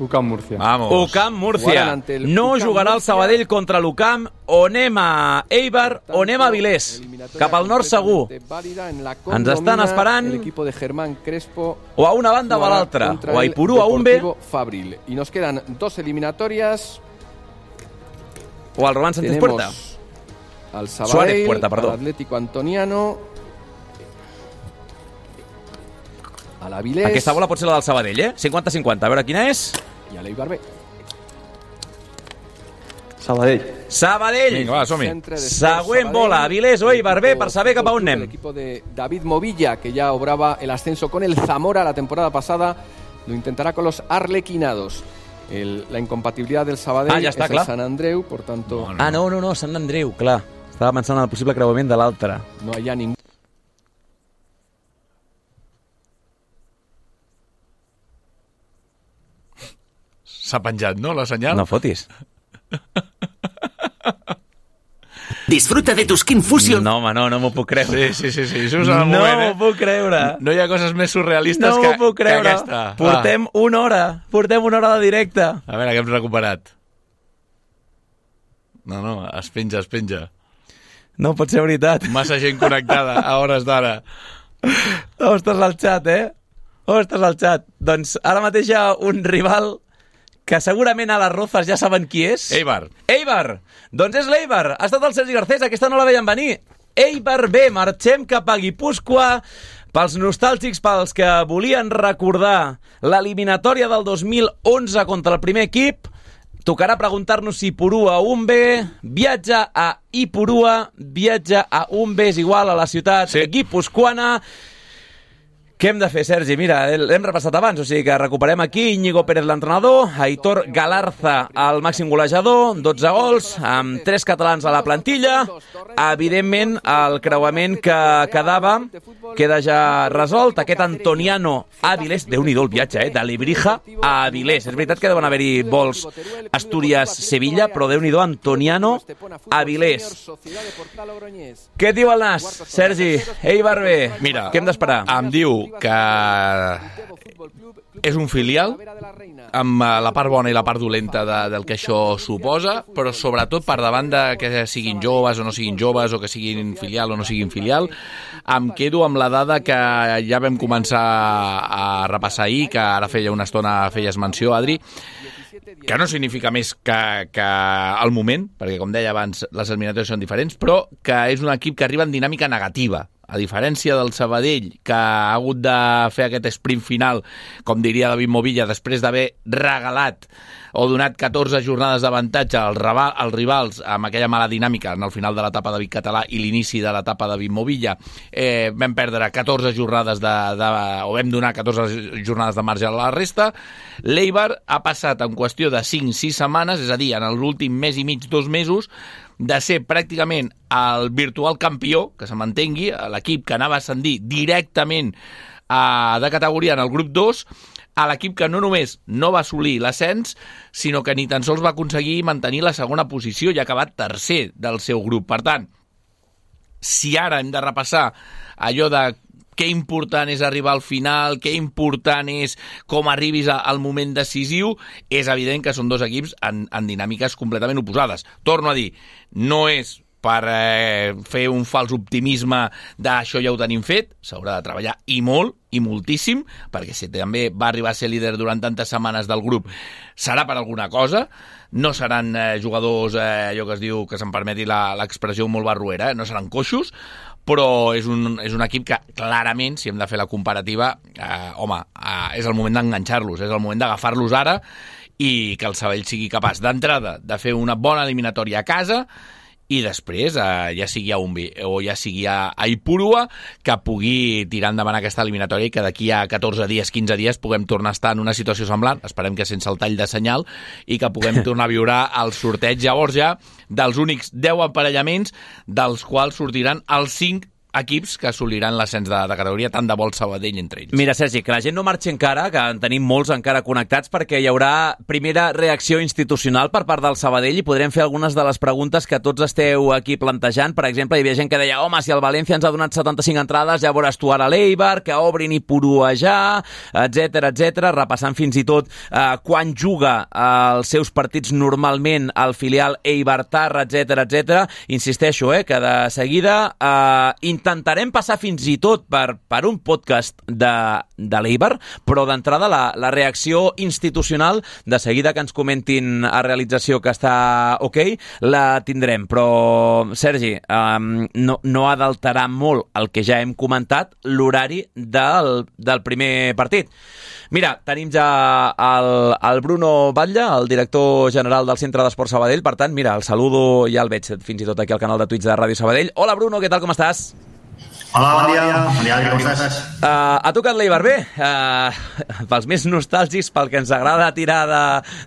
U C A M Murcia. Vamos. U C A M Murcia. Jugaran ante el No U C A M jugarà el Murcia. Sabadell contra l'U C A M, o anem a Eibar o anem a Avilés. Cap al nord segur. Ens estan esperant El equipo de Germán Crespo. o a una banda o a jugará l'altra, contra o a el Ipurú a un B Deportivo Fabril. Y nos quedan dos eliminatorias. o al Román Sánchez Puerta. Tenemos al Suárez Sabadell, Puerta, perdó. al Atlético Antoniano, al Avilés Aquesta bola pot ser la del Sabadell, eh? cinquanta cinquanta. A veure quina és. y al Eibar B. Sabadell. Sabadell. Vinga, va, som-hi. Centre de Següent Sabadell, bola, Avilés o Eibar B, per saber cap a on El anem. equipo de David Movilla, que ya obraba el ascenso con el Zamora la temporada pasada, lo intentará con los Arlequinados. El- la incompatibilidad del Sabadell Ah, ja està, es clar. el Sant Andreu, por tanto Ah, no, no, no, Sant Andreu, clar. Estava pensant en el possible creuament de l'altre. no hay ya ningún. S'ha penjat, no, la senyal? No fotis. Disfruta de tu Skin Fusion. No, home, no, no m'ho puc creure. Sí, sí, sí, sí, això és el No moment, m'ho eh? puc creure. No hi ha coses més surrealistes No que, m'ho puc que creure. aquesta. Portem una hora. Portem una hora de directe. Va. A veure, que hem recuperat. No, no, es penja, es penja. No pot ser veritat. Massa gent connectada a hores d'ara. Ostres, al xat, eh? Ostres, al xat. Doncs ara mateix hi ha un rival que segurament a les Rozas ja saben qui és. Eibar. Eibar! Doncs és l'Eibar. Ha estat el Sergi Garcés, aquesta no la veiem venir. Eibar B, marxem cap a Guipúscoa. Pels nostàlgics, pels que volien recordar l'eliminatòria del dos mil onze contra el primer equip, tocarà preguntar-nos si Ipurua Umbe viatja a Ipurua, viatja a Umbe, és igual a la ciutat sí. guipuscoana. Què hem de fer, Sergi? Mira, l'hem repassat abans, o sigui que recuperem aquí Íñigo Pérez, l'entrenador, Aitor Galarza, el màxim golejador, dotze gols, amb tres catalans a la plantilla. Evidentment, el creuament que quedava queda ja resolt. Aquest Antoniano Avilés, Déu-n'hi-do el viatge, eh? De Lebrija a Avilés. És veritat que deuen haver-hi vols Astúries-Sevilla, però Déu-n'hi-do Antoniano Avilés. Què et diu el Nas, Sergi? Eibar B, mira, què hem d'esperar? Em diu que és un filial amb la part bona i la part dolenta de, del que això suposa, però sobretot per davant de que siguin joves o no siguin joves, o que siguin filial o no siguin filial, em quedo amb la dada que ja vam començar a repassar ahir, que ara feia una estona feies menció, Adri, que no significa més que, que el moment, perquè com deia abans les eliminatòries són diferents, però que és un equip que arriba en dinàmica negativa, a diferència del Sabadell, que ha hagut de fer aquest sprint final, com diria David Movilla, després d'haver regalat o donat catorze jornades d'avantatge als, als rivals amb aquella mala dinàmica en el final de l'etapa de Vic Català i l'inici de l'etapa de David Movilla. Eh, vam perdre catorze jornades de, de, o vam donar catorze jornades de marge a la resta. L'Eibar ha passat en qüestió de cinc sis setmanes, és a dir, en l'últim mes i mig, dos mesos, de ser pràcticament el virtual campió, que se mantengui, l'equip que anava a ascendir directament a, de categoria en el grup dos, a l'equip que no només no va assolir l'ascens, sinó que ni tan sols va aconseguir mantenir la segona posició i ha acabat tercer del seu grup. Per tant, si ara hem de repassar allò de què important és arribar al final, què important és com arribis al moment decisiu, és evident que són dos equips en, en dinàmiques completament oposades. Torno a dir, no és per eh, fer un fals optimisme d'això ja ho tenim fet, s'haurà de treballar i molt, i moltíssim, perquè si també va arribar a ser líder durant tantes setmanes del grup, serà per alguna cosa, no seran eh, jugadors, eh, allò que es diu, que se'm permeti l'expressió molt barruera, eh, no seran coixos, però és un, és un equip que clarament, si hem de fer la comparativa, eh, home, eh, és el moment d'enganxar-los, és el moment d'agafar-los ara i que el Sabadell sigui capaç d'entrada de fer una bona eliminatòria a casa i després, eh, ja sigui a Umbi o ja sigui a, a Ipurua, que pugui tirar endavant aquesta eliminatòria i que d'aquí a catorze dies, quinze dies puguem tornar a estar en una situació semblant, esperem que sense el tall de senyal, i que puguem tornar a viure el sorteig llavors ja dels únics deu emparellaments dels quals sortiran els cinc equips que assoliran l'ascens de, de categoria, tant de vol Sabadell entre ells. Mira, Sergi, que la gent no marxi encara, que en tenim molts encara connectats, perquè hi haurà primera reacció institucional per part del Sabadell i podrem fer algunes de les preguntes que tots esteu aquí plantejant. Per exemple, hi havia gent que deia, home, si el València ens ha donat setanta-cinc entrades, ja veuràs tu ara l'Eibar, que obrin Ipurua ja, etcètera, etcètera, repassant fins i tot eh, quan juga eh, els seus partits normalment al filial Eibar-Tar, etcètera, etcètera. Insisteixo, eh, que de seguida eh, intentarem passar fins i tot per, per un podcast de, de l'Eibar, però d'entrada la, la reacció institucional, de seguida que ens comentin a realització que està ok, la tindrem. Però, Sergi, um, no, no ha d'alterar molt el que ja hem comentat, l'horari del, del primer partit. Mira, tenim ja el, el Bruno Batlle, el director general del Centre d'Esport Sabadell, per tant, mira, el saludo, ja el veig fins i tot aquí al canal de Twitch de Ràdio Sabadell. Hola, Bruno, què tal, com estàs? Hola, bon dia. Bon dia, com estàs? Uh, ha tocat l'Eibar bé. Uh, pels més nostàlgics, pel que ens agrada tirar de,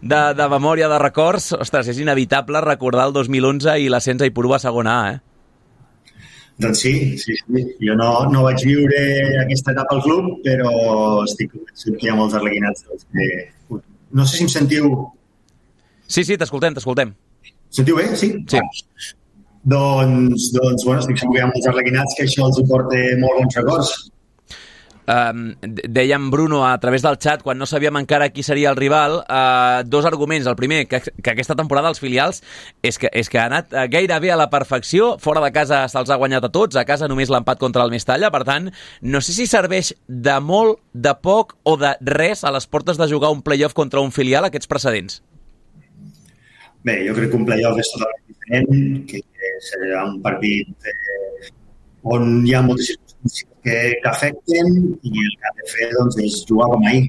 de, de memòria, de records, ostres, és inevitable recordar el dos mil onze i l'ascens a Ipurua a segona A, eh? Doncs sí, sí, sí. Jo no, no vaig viure aquesta etapa al club, però estic convençut que hi ha molts arlequinats. Que... No sé si em sentiu... Sí, sí, t'escoltem, t'escoltem. Sentiu bé? Sí? Sí. Doncs, doncs, bueno, estic segur que hi ha molts arlequinats que això els porta molt bons records. Um, dèiem, Bruno, a través del xat, quan no sabíem encara qui seria el rival, uh, dos arguments. El primer, que, que aquesta temporada els filials és que, és que ha anat gairebé a la perfecció, fora de casa se'ls ha guanyat a tots, a casa només l'empat contra el Mestalla, per tant, no sé si serveix de molt, de poc o de res a les portes de jugar un play-off contra un filial aquests precedents. Bé, jo crec que un play-off és totalment diferent, que serà un partit eh, on hi ha moltes circumstàncies que, que afecten i el que ha de fer doncs, és jugar com ahir,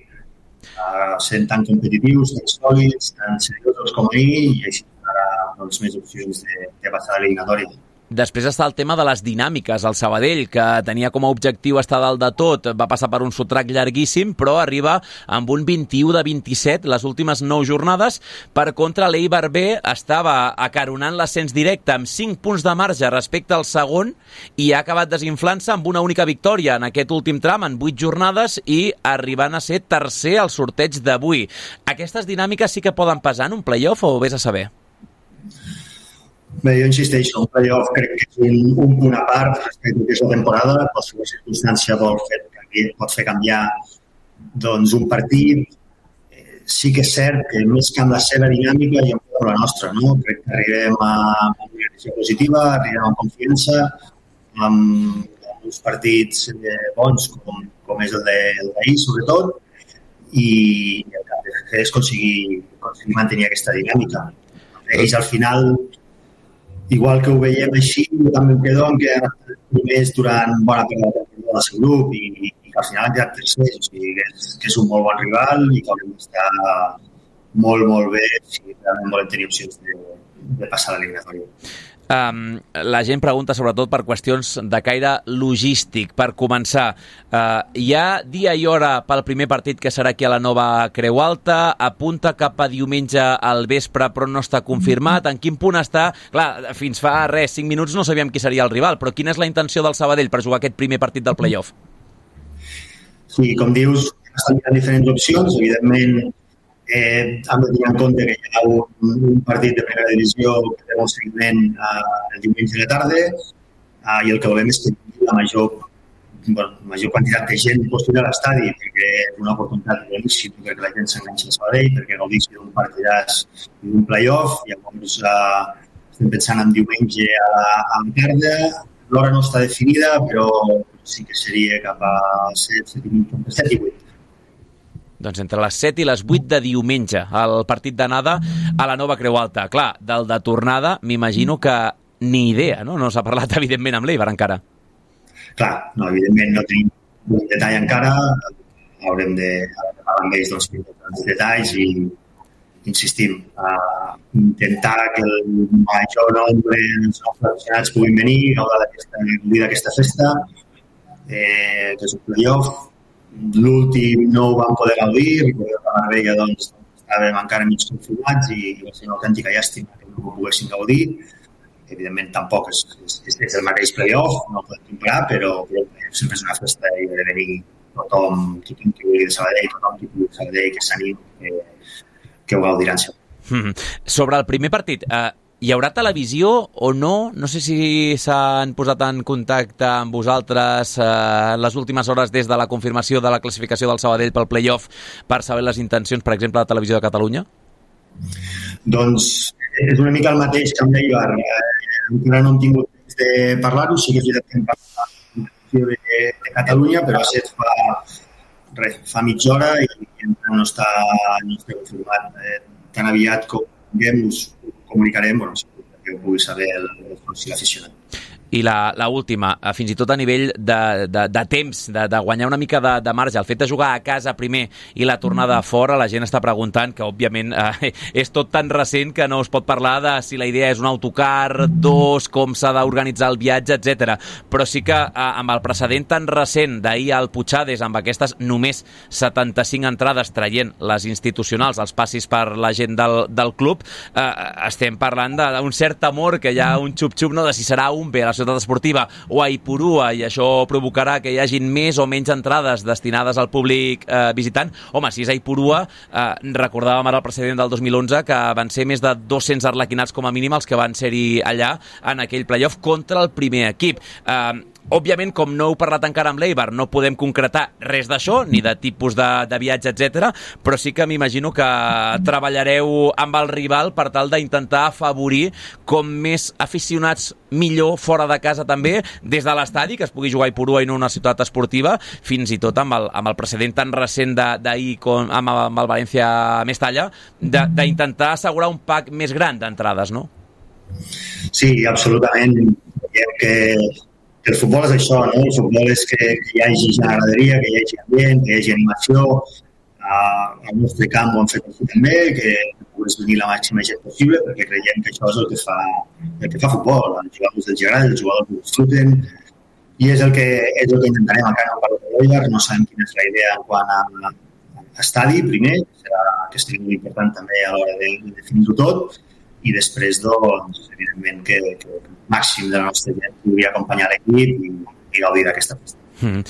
uh, sent tan competitius, tan sòlids, tan seriosos com ahir i així donarà doncs, més opcions de, de passar a l'eliminatòria. Després està el tema de les dinàmiques. El Sabadell, que tenia com a objectiu estar dalt de tot, va passar per un sotrac llarguíssim, però arriba amb un vint-i-u de vint-i-set les últimes nou jornades. Per contra, l'Eibar B estava acaronant l'ascens directe amb cinc punts de marge respecte al segon i ha acabat desinflant-se amb una única victòria en aquest últim tram, en vuit jornades, i arribant a ser tercer al sorteig d'avui. Aquestes dinàmiques sí que poden pesar en un play-off o vés a saber? Bé, jo insisteixo, un play-off crec que és un, un punt a part respecte a que és la temporada. Qualsevol circumstància pot fer, pot fer canviar doncs, un partit. Eh, sí que és cert que més que amb la seva dinàmica i amb la nostra, no? Crec que arribem a, a una direcció positiva, arribem amb confiança, amb, amb uns partits eh, bons com, com és el d'ahir, sobretot, i el que hem de fer és aconseguir, aconseguir mantenir aquesta dinàmica. Ells al final, igual que ho veiem així, jo també em quedo amb que han estat primers durant bona part de la temporada del seu grup i, i que al final han quedat tercers. O sigui, que és, que és un molt bon rival i que haurem d'estar molt, molt bé si realment volem tenir opcions de, de passar a l'eliminatòria. Um, la gent pregunta sobretot per qüestions de caire logístic. Per començar, uh, hi ha dia i hora pel primer partit que serà aquí a la nova Creu Alta, apunta cap a diumenge al vespre però no està confirmat. En quin punt està? Clar, fins fa res, cinc minuts no sabíem qui seria el rival, però quina és la intenció del Sabadell per jugar aquest primer partit del play-off? Sí, com dius, estan mirant diferents opcions, evidentment. Eh, hem de tenir en compte que hi ha un, un partit de primera divisió que té un seguiment eh, el diumenge de la tarda eh, i el que volem és que la major, bueno, major quantitat de gent possible a l'estadi, perquè és una oportunitat boníssima perquè la gent s'enganxa a Sabadell, perquè gaudeixi d'un partidàs i d'un play-off. Llavors eh, estem pensant en diumenge a la, a la tarda. L'hora no està definida, però sí que seria cap a set, set i vuit. Doncs entre les set i les vuit de diumenge, el partit d'anada a la nova Creu Alta. Clar, del de tornada m'imagino que ni idea, no? No s'ha parlat, evidentment, amb l'Eibar encara. Clar, no, evidentment no tenim un detall encara. Haurem de parlar amb ells dels detalls i insistim, a intentar que el major nombre dels nostres aficionats puguin venir, gaudir d'aquesta festa, eh, que és un play-off. L'últim no ho vam poder gaudir, recordem que a Marbella doncs, estàvem encara mig confinats i va ser una autèntica llàstima que no ho poguéssim gaudir. Evidentment tampoc és, és, és el mateix play-off, no ho podem comparar, però, però sempre és una festa i ha de venir tothom, tothom que vulgui de Sabadell, tothom que vulgui de Sabadell, que s'anim, que, que ho gaudiran sempre. Mm-hmm. Sobre el primer partit, eh, hi haurà televisió o no? No sé si s'han posat en contacte amb vosaltres eh, les últimes hores des de la confirmació de la classificació del Sabadell pel play-off per saber les intencions, per exemple, de la Televisió de Catalunya? Doncs és una mica el mateix que amb l'Eibar. Eh, encara no hem tingut temps de parlar-ho, sí que és veritat que hem parlat de, de Catalunya, però ha set fa, res, fa mitja hora i encara no està, no està confirmat. Eh, tan aviat com tinguem us comunicarem, bueno, que ho pugui saber el, el, el aficionat. I la, la última, fins i tot a nivell de, de, de temps, de, de guanyar una mica de, de marge, el fet de jugar a casa primer i la tornada a fora, la gent està preguntant que, òbviament, eh, és tot tan recent que no es pot parlar de si la idea és un autocar, dos, com s'ha d'organitzar el viatge, etcètera. Però sí que eh, amb el precedent tan recent d'ahir al Puigades, amb aquestes només setanta-cinc entrades traient les institucionals, els passis per la gent del, del club, eh, estem parlant d'un cert temor que hi ha un xup-xup, no?, de si serà un bé a la ciutat esportiva o a Ipurua, i això provocarà que hi hagin més o menys entrades destinades al públic eh, visitant. Home, si és a Ipurua, eh, recordàvem ara el precedent del dos mil onze que van ser més de dos-cents arlequinats com a mínim els que van ser-hi allà en aquell playoff contra el primer equip. Eh, òbviament, com no heu parlat encara amb l'Eibar, no podem concretar res d'això, ni de tipus de, de viatge, etcètera, però sí que m'imagino que treballareu amb el rival per tal d'intentar afavorir com més aficionats millor fora de casa també, des de l'estadi, que es pugui jugar a Ipurua i no una ciutat esportiva, fins i tot amb el, amb el precedent tan recent d'ahir amb, amb el València-Mestalla, d'intentar assegurar un pack més gran d'entrades, no? Sí, absolutament. Veiem que el futbol és això, no? El futbol és que, que hi hagi generaderia, que hi hagi ambient, que hi hagi animació. Uh, al nostre camp ho hem fet així també, que puguis venir la màxima gent possible, perquè creiem que això és el que fa, el que fa futbol. Els jugadors dels agrada, els jugadors ho disfruten, i és el que, és el que intentarem encara no parlo de l'Eibar. No sabem quina és la idea en quant a, a estadi, primer, serà que estigui molt important també a l'hora de, de definir-ho tot, i després, doncs, evidentment que, que el màxim de la nostra gent podria acompanyar l'equip i, i gaudir d'aquesta festa. Mm.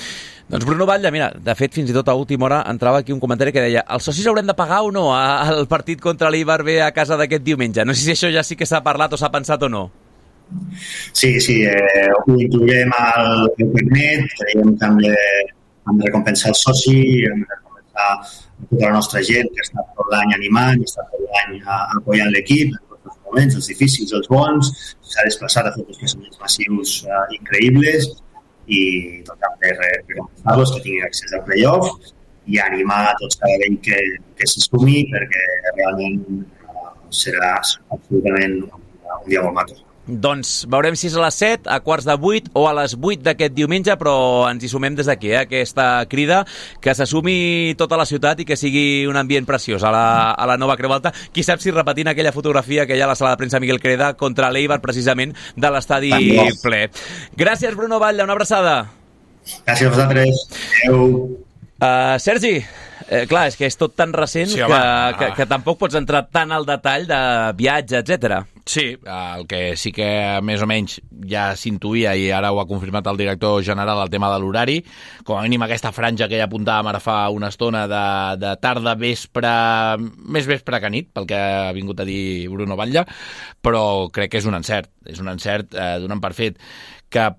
Doncs Bruno Batlle, mira, de fet, fins i tot a última hora entrava aquí un comentari que deia els socis haurem de pagar o no al partit contra l'Eibar B a casa d'aquest diumenge? No sé si això ja sí que s'ha parlat o s'ha pensat o no. Sí, sí, eh, ho inclourem al internet, creiem que hem de, hem de recompensar el soci, hem de recompensar tota la nostra gent que està tot l'any animant, que està tot l'any apoyant l'equip, els moments, els difícils, els bons, s'ha desplaçat a fer uns creixements massius uh, increïbles i tot també recompensar-los que tinguin accés al playoff i animar a tots cada vegada que, que s'hi sumi perquè realment uh, serà absolutament un, un dia molt maco. Doncs veurem si és a les set, a quarts de vuit o a les vuit d'aquest diumenge, però ens hi sumem des d'aquí, eh? Aquesta crida, que s'assumi tota la ciutat i que sigui un ambient preciós a la, a la nova Creu Alta. Qui sap si repetint aquella fotografia que hi ha a la sala de premsa Miguel Creda contra l'Eibar, precisament, de l'estadi ple. Gràcies, Bruno Batlle, una abraçada. Gràcies a vosaltres. Adéu. Uh, Sergi, eh, clar, és que és tot tan recent sí, que, que, que tampoc pots entrar tan al detall de viatge, etcètera. Sí, el que sí que més o menys ja s'intuïa i ara ho ha confirmat el director general, el tema de l'horari, com a mínim aquesta franja que ja apuntàvem ara fa una estona de, de tarda, vespre, més vespre que nit, pel que ha vingut a dir Bruno Batlle, però crec que és un encert, és un encert eh, donant per fet que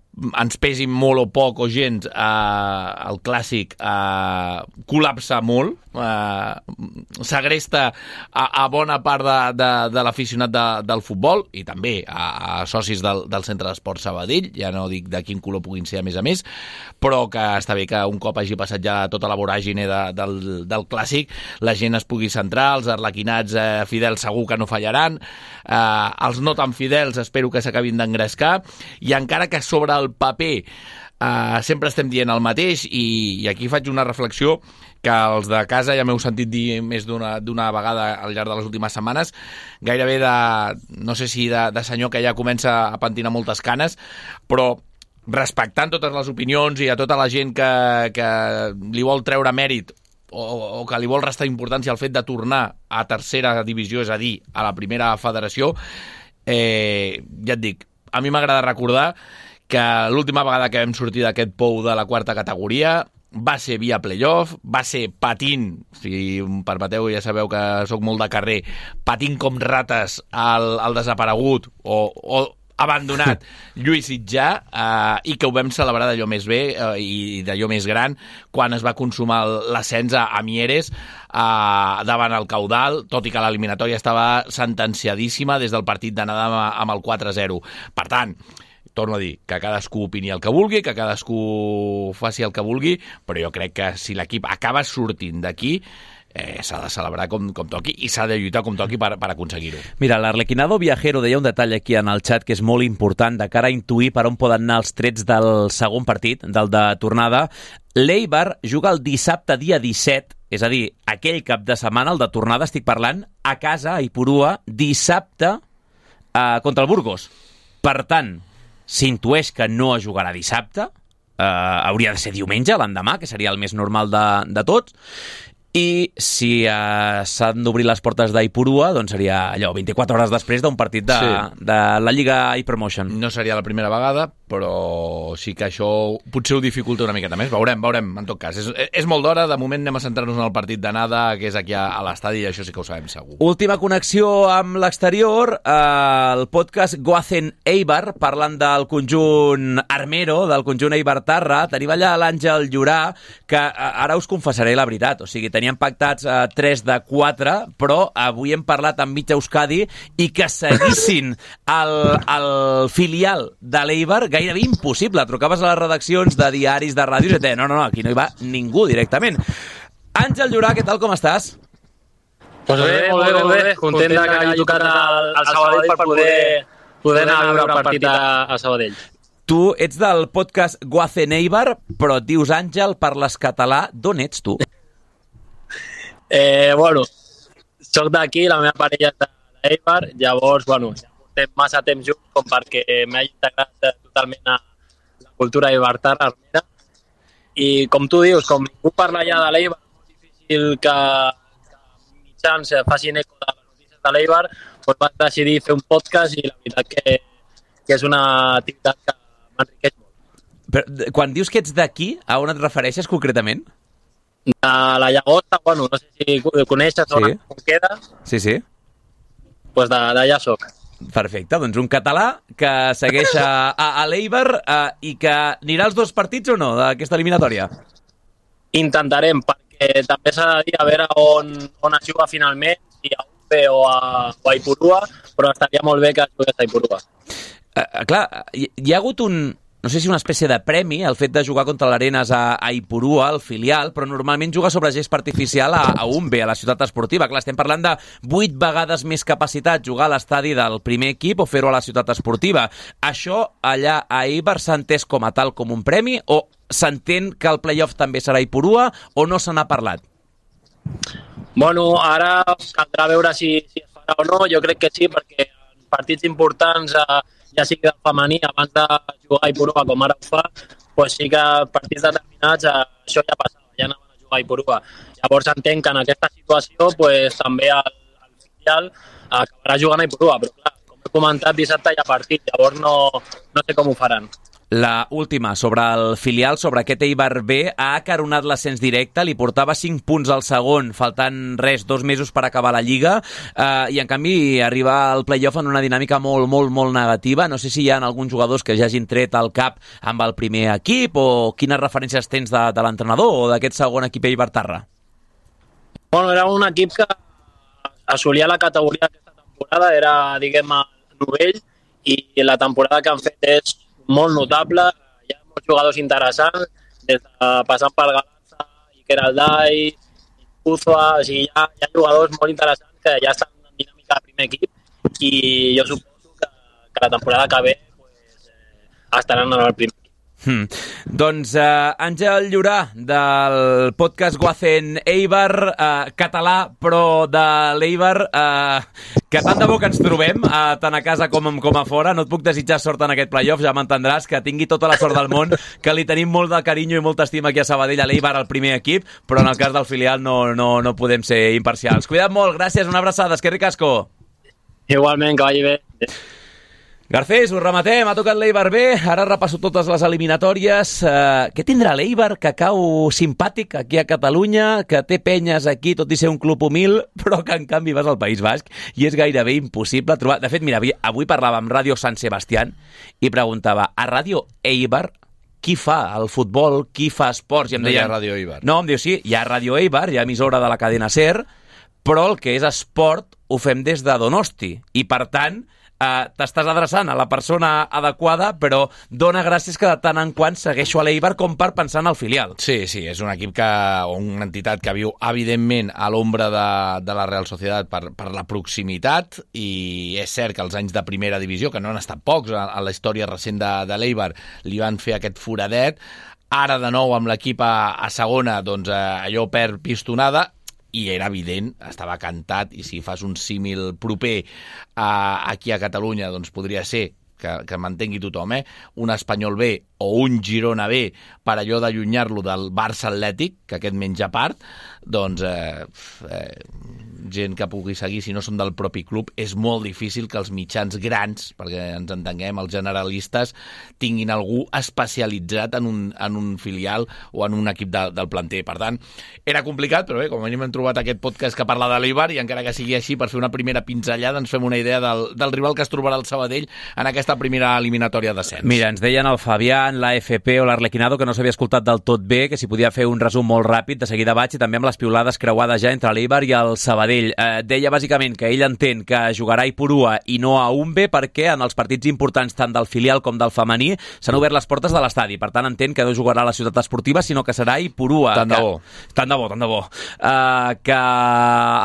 ens pesi molt o poc o gens eh, el clàssic eh, col·lapsa molt, eh, segresta a, a bona part de, de, de l'aficionat de, del futbol i també a, a socis del, del Centre d'Esport Sabadell, ja no dic de quin color puguin ser a més a més, però que està bé que un cop hagi passat ja tota la voràgine de, del, del clàssic, la gent es pugui centrar, els arlequinats eh, fidels segur que no fallaran, eh, els no tan fidels espero que s'acabin d'engrescar, i encara que sobre el paper uh, sempre estem dient el mateix i, i aquí faig una reflexió que els de casa ja m'heu sentit dir més d'una d'una vegada al llarg de les últimes setmanes, gairebé de, no sé si de, de senyor que ja comença a pentinar moltes canes, però respectant totes les opinions i a tota la gent que, que li vol treure mèrit o, o que li vol restar importància al fet de tornar a tercera divisió, és a dir, a la primera federació, eh, ja et dic, a mi m'agrada recordar que l'última vegada que vam sortir d'aquest pou de la quarta categoria va ser via playoff, va ser patint, si em permeteu, ja sabeu que sóc molt de carrer, patint com rates al, al desaparegut o, o abandonat Lluís Sitjà, eh, i que ho vam celebrar d'allò més bé eh, i d'allò més gran quan es va consumar l'ascens a, a Mieres eh, davant el Caudal, tot i que l'eliminatòria estava sentenciadíssima des del partit d'anada amb, amb el quatre a zero. Per tant, torno a dir, que cadascú opini el que vulgui, que cadascú faci el que vulgui, però jo crec que si l'equip acaba sortint d'aquí, eh, s'ha de celebrar com, com toqui i s'ha de lluitar com toqui per, per aconseguir-ho. Mira, l'Arlequinado Viajero deia un detall aquí en el xat que és molt important de cara a intuir per on poden anar els trets del segon partit, del de tornada. L'Eibar juga el dissabte dia disset, és a dir, aquell cap de setmana, el de tornada, estic parlant, a casa, a Ipurua, dissabte eh, contra el Burgos. Per tant, s'intueix que no es jugarà dissabte, eh, hauria de ser diumenge, l'endemà, que seria el més normal de, de tots, i si eh, s'han d'obrir les portes d'Ipurua, doncs seria allò, vint-i-quatre hores després d'un partit de, sí. de la Lliga iPromotion. No seria la primera vegada, però sí que això potser ho dificulta una miqueta més. Veurem, veurem, en tot cas. És, és molt d'hora, de moment anem a centrar-nos en el partit d'anada, que és aquí a, a l'estadi, i això sí que ho sabem segur. Última connexió amb l'exterior, eh, el podcast Goazen Eibar, parlant del conjunt armero, del conjunt Eibar-Tarra. Tenim allà l'Àngel Llorà, que eh, ara us confessaré la veritat, o sigui, teníem pactats eh, tres de quatre, però avui hem parlat amb mig Euskadi i que seguissin el, el filial de l'Eibar, gairebé impossible. Trucaves a les redaccions de diaris, de ràdios, i et deien, no, no, no, aquí no hi va ningú directament. Àngel Llorà, què tal, com estàs? Pues bé, molt bé, molt bé. Content que hagi tocat al, al Sabadell per poder, poder anar a veure el partit a, a Sabadell. Tu ets del podcast Goazen Eibar, però et dius Àngel, parles català. D'on ets, tu? Eh, bueno, soc d'aquí, la meva parella és d'Eibar, llavors, bueno, portem massa temps junts com perquè m'hagi integrat totalment a la cultura eibartarra armera. I com tu dius, com ningú parla ja de l'Eibar, és molt difícil que, que mitjans facin eco de les notícies de l'Eibar, doncs vaig decidir fer un podcast i la veritat que, que és una activitat que m'enriqueix molt. Però, quan dius que ets d'aquí, a on et refereixes concretament? De la Llagosta, bueno, no sé si coneixes zona sí. Com queda. Sí, sí. Doncs pues d'allà soc. Perfecte, doncs un català que segueix a, a, a l'Eibar uh, i que anirà als dos partits o no d'aquesta eliminatòria? Intentarem, perquè també s'ha de dir a veure on, on es juga finalment, si a U P o a, o a Ipurua, però estaria molt bé que es jugués a Ipurua. Uh, clar, hi, hi ha hagut un, no sé si una espècie de premi, el fet de jugar contra l'Arenas a, a Ipurua, el filial, però normalment juga sobre gest artificial a, a Umbe, a la ciutat esportiva. Clar, estem parlant de vuit vegades més capacitat jugar a l'estadi del primer equip o fer-ho a la ciutat esportiva. Això allà a Eibar s'ha entès com a tal, com un premi, o s'entén que el playoff també serà a Ipurua, o no se n'ha parlat? Bueno, ara caldrà veure si, si es farà o no. Jo crec que sí, perquè en partits importants... Eh, ja sigui del femení, abans de jugar a Ipurua com ara ho fa, doncs sí que partits determinats això ja passava, ja anaven a jugar a Ipurua. Llavors entenc que en aquesta situació doncs, també el, el filial acabarà jugant a Ipurua, però clar, com he comentat, dissabte hi ha partit, llavors no, no sé com ho faran. La última, sobre el filial, sobre aquest Eibar B, ha acaronat l'ascens directe, li portava cinc punts al segon, faltant res, dos mesos per acabar la Lliga, eh, i en canvi arriba al playoff en una dinàmica molt, molt, molt negativa. No sé si hi ha alguns jugadors que ja hagin tret al cap amb el primer equip, o quines referències tens de, de l'entrenador o d'aquest segon equip Eibar-Tarra? Bueno, era un equip que assolia la categoria aquesta temporada, era, diguem, el novell, i la temporada que han fet és molt notable, hi ha molts jugadors interessants, des de passant pel Galanza, Iker Aldai, Uzua, o sigui, hi ha, hi ha jugadors molt interessants que ja estan en dinàmica de primer equip i jo suposo que, que la temporada que ve pues, eh, estaran en el primer equip. Hmm. Doncs uh, Àngel Llorà, del podcast Goazen Eibar, uh, català, però de l'Eibar, uh, que tant de bo que ens trobem, uh, tant a casa com, com a fora. No et puc desitjar sort en aquest playoff, ja m'entendràs, que tingui tota la sort del món, que li tenim molt de carinyo i molta estima aquí a Sabadell, a l'Eibar, al primer equip, però en el cas del filial no, no, no podem ser imparcials. Cuida't molt, gràcies, una abraçada, esquerri casco. Igualment, que vagi bé. Garcés, ho rematem, ha tocat l'Eibar B, ara repasso totes les eliminatòries. Uh, què tindrà l'Eibar, que cau simpàtic aquí a Catalunya, que té penyes aquí, tot i ser un club humil, però que en canvi vas al País Basc i és gairebé impossible trobar... De fet, mira, avui parlava amb Ràdio Sant Sebastián i preguntava, a Ràdio Eibar qui fa el futbol, qui fa esports? I em no deien, hi ha Ràdio Eibar. No, em diu, sí, hi ha Ràdio Eibar, hi ha emissora de la cadena SER, però el que és esport ho fem des de Donosti, i per tant Uh, t'estàs adreçant a la persona adequada, però dona gràcies que de tant en quant segueixo a l'Eibar com per pensar en el filial. Sí, sí, és un equip que, o una entitat que viu evidentment a l'ombra de, de la Real Societat per, per la proximitat, i és cert que els anys de primera divisió, que no han estat pocs a, a la història recent de, de l'Eibar, li van fer aquest foradet. Ara de nou amb l'equip a, a segona, doncs eh, allò perd pistonada, i era evident, estava cantat, i si fas un símil proper a, aquí a Catalunya, doncs podria ser que, que m'entengui tothom, eh? un Espanyol B o un Girona B, per allò d'allunyar-lo del Barça Atlètic, que aquest menja part, doncs eh, eh, gent que pugui seguir, si no són del propi club, és molt difícil que els mitjans grans, perquè ens entenguem, els generalistes, tinguin algú especialitzat en un, en un filial o en un equip de, del planter. Per tant, era complicat, però bé, com a mínim hem trobat aquest podcast que parla de l'Eibar i encara que sigui així, per fer una primera pinzellada ens fem una idea del, del rival que es trobarà el Sabadell en aquesta primera eliminatòria d'ascens. Mira, ens deien el Fabián, l'A F P o l'Arlequinado que no s'havia escoltat del tot bé, que si podia fer un resum molt ràpid, de seguida vaig, i també amb les piulades creuades ja entre l'Eibar i el Sabadell. Eh, deia bàsicament que ell entén que jugarà a Ipurua i no a Umbe perquè en els partits importants tant del filial com del femení s'han obert les portes de l'estadi. Per tant, entén que no jugarà a la ciutat esportiva, sinó que serà a Ipurua. Tant de bo. Que, tant de bo, tant de bo. Eh, que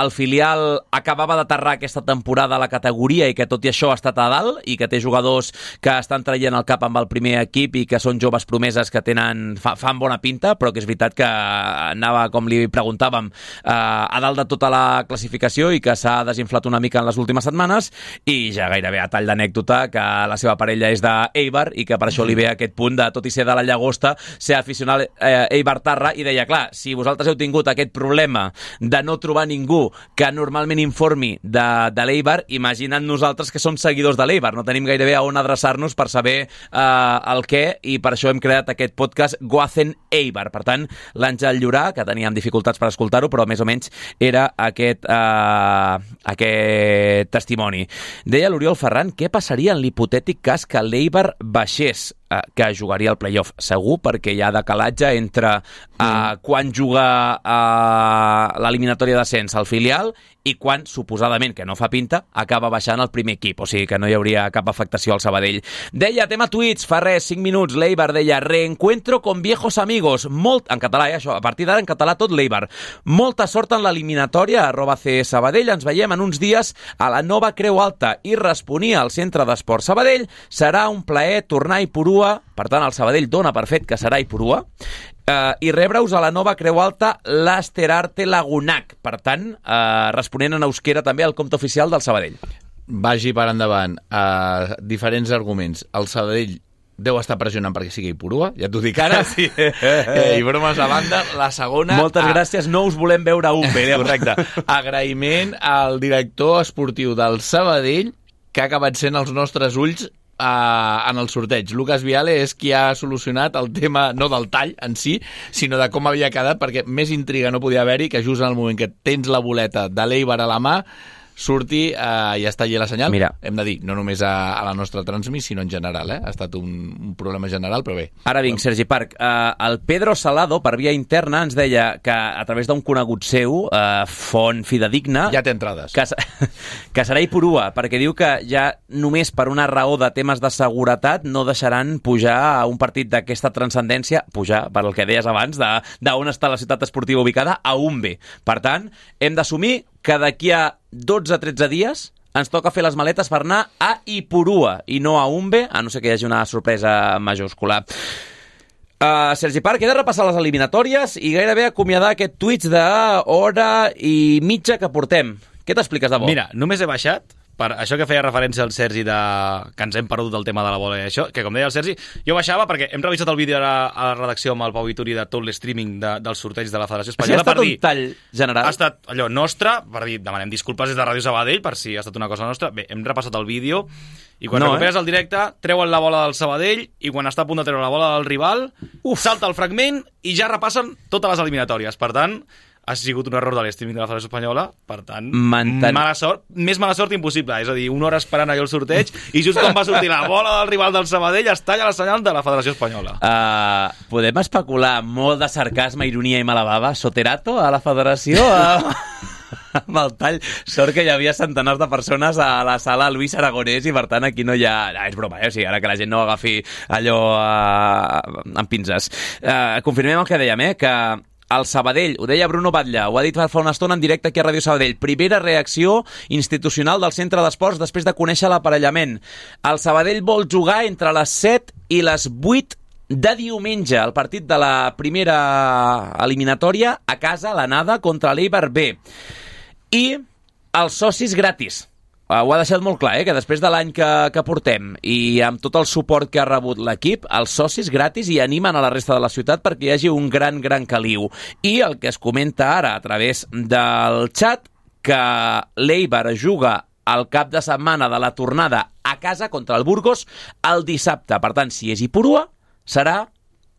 el filial acabava d'aterrar aquesta temporada a la categoria i que tot i això ha estat a dalt i que té jugadors que estan traient el cap amb el primer equip i que són joves promeses que tenen fa, fan bona pinta, però que és veritat que anava, com li preguntàvem, eh, a dalt de tota la classificació i que s'ha desinflat una mica en les últimes setmanes, i ja gairebé a tall d'anècdota que la seva parella és d'Eibar i que per això li ve aquest punt de, tot i ser de la Llagosta, ser aficionat eh, Eibar-Tarra, i deia, clar, si vosaltres heu tingut aquest problema de no trobar ningú que normalment informi de, de l'Eibar, imagina't nosaltres que som seguidors de l'Eibar, no tenim gairebé a on adreçar-nos per saber eh, el què, i per això hem creat aquest podcast Goazen Eibar. Per tant, l'Àngel Llorà, que teníem dificultats per escoltar-ho, però més o menys era aquest, eh, aquest testimoni. Deia l'Oriol Ferran, què passaria en l'hipotètic cas que l'Eibar baixés, eh, que jugaria el play-off? Segur, perquè hi ha decalatge entre eh, mm. quan juga eh, l'eliminatòria d'ascens al filial i quan, suposadament, que no fa pinta, acaba baixant el primer equip, o sigui que no hi hauria cap afectació al Sabadell. Deia, tema tuits, fa res, cinc minuts, l'Eibar deia, reencuentro con viejos amigos, molt, en català, eh, això, a partir d'ara en català tot l'Eibar. Molta sort en l'eliminatòria, arroba C Sabadell, ens veiem en uns dies a la nova Creu Alta, i responia al Centre d'Esport Sabadell, serà un plaer tornar a Ipurua, per tant el Sabadell dona per fet que serà a Ipurua, Uh, i rebre-us a la nova Creu Alta l'Asterarte Lagunac. Per tant, uh, responent en euskera també al compte oficial del Sabadell. Vagi per endavant. Uh, diferents arguments. El Sabadell deu estar pressionant perquè sigui Ipurua, ja t'ho dic ara. Sí. Eh, I bromes a banda, la segona... Moltes a... gràcies, no us volem veure a un bé. Correcte. Agraïment al director esportiu del Sabadell, que ha acabat sent els nostres ulls Uh, en el sorteig. Lucas Viale és qui ha solucionat el tema, no del tall en si, sinó de com havia quedat, perquè més intriga no podia haver-hi que just en el moment que tens la boleta de l'Eibar a la mà surti uh, i està allà la senyal. Mira. Hem de dir, no només a, a la nostra transmissió, sinó en general, eh? Ha estat un, un problema general, però bé. Ara vinc, Sergi Parc. Uh, el Pedro Salado, per via interna, ens deia que a través d'un conegut seu, uh, font fidedigna... Ja té entrades. Que, que serà Ipurua, perquè diu que ja només per una raó de temes de seguretat no deixaran pujar a un partit d'aquesta transcendència, pujar, per el que deies abans, d'on està la ciutat esportiva ubicada, a Umbe. Per tant, hem d'assumir que d'aquí a dotze a tretze dies ens toca fer les maletes per anar a Ipurua i no a Umbe, a no ser que hi hagi una sorpresa majúscula. Uh, Sergi Parc, he de repassar les eliminatòries i gairebé acomiadar aquest tuits d'hora i mitja que portem. Què t'expliques de bo? Mira, només he baixat per això que feia referència al Sergi de que ens hem perdut del tema de la bola i això, que com deia el Sergi, jo baixava perquè hem revisat el vídeo a, a la redacció amb el Pau Vituri de tot l'streaming de, dels sorteig de la Federació Espanyola. Ha estat per un dir, tall general? Ha estat allò nostre, per dir, demanem disculpes des de Ràdio Sabadell per si ha estat una cosa nostra. Bé, hem repassat el vídeo i quan no, recuperes eh? el directe, treuen la bola del Sabadell i quan està a punt de treure la bola del rival, Uf. salta el fragment i ja repassen totes les eliminatòries. Per tant, ha sigut un error de l'estreaming de la Federació Espanyola, per tant, Manten... mala sort, més mala sort impossible, és a dir, una hora esperant allò el sorteig i just quan va sortir la bola del rival del Sabadell es talla la senyal de la Federació Espanyola. Uh, podem especular molt de sarcasme, ironia i mala bava? Soterato a la Federació? Amb el tall. Sort que hi havia centenars de persones a la sala Luis Aragonès i per tant aquí no hi ha... Ah, és broma, eh? O sigui, ara que la gent no agafi allò uh, amb pinces. Uh, confirmem el que dèiem, eh? Que el Sabadell, ho deia Bruno Batlle, ho ha dit fa una estona en directe aquí a Ràdio Sabadell, primera reacció institucional del centre d'esports després de conèixer l'aparellament. El Sabadell vol jugar entre les set i les vuit de diumenge, el partit de la primera eliminatòria a casa, a l'anada, contra l'Eibar B. I els socis gratis. Uh, ho ha deixat molt clar, eh? Que després de l'any que, que portem i amb tot el suport que ha rebut l'equip, els socis gratis i animen a la resta de la ciutat perquè hi hagi un gran, gran caliu. I el que es comenta ara a través del xat, que l'Eibar juga el cap de setmana de la tornada a casa contra el Burgos el dissabte. Per tant, si és Ipurua, serà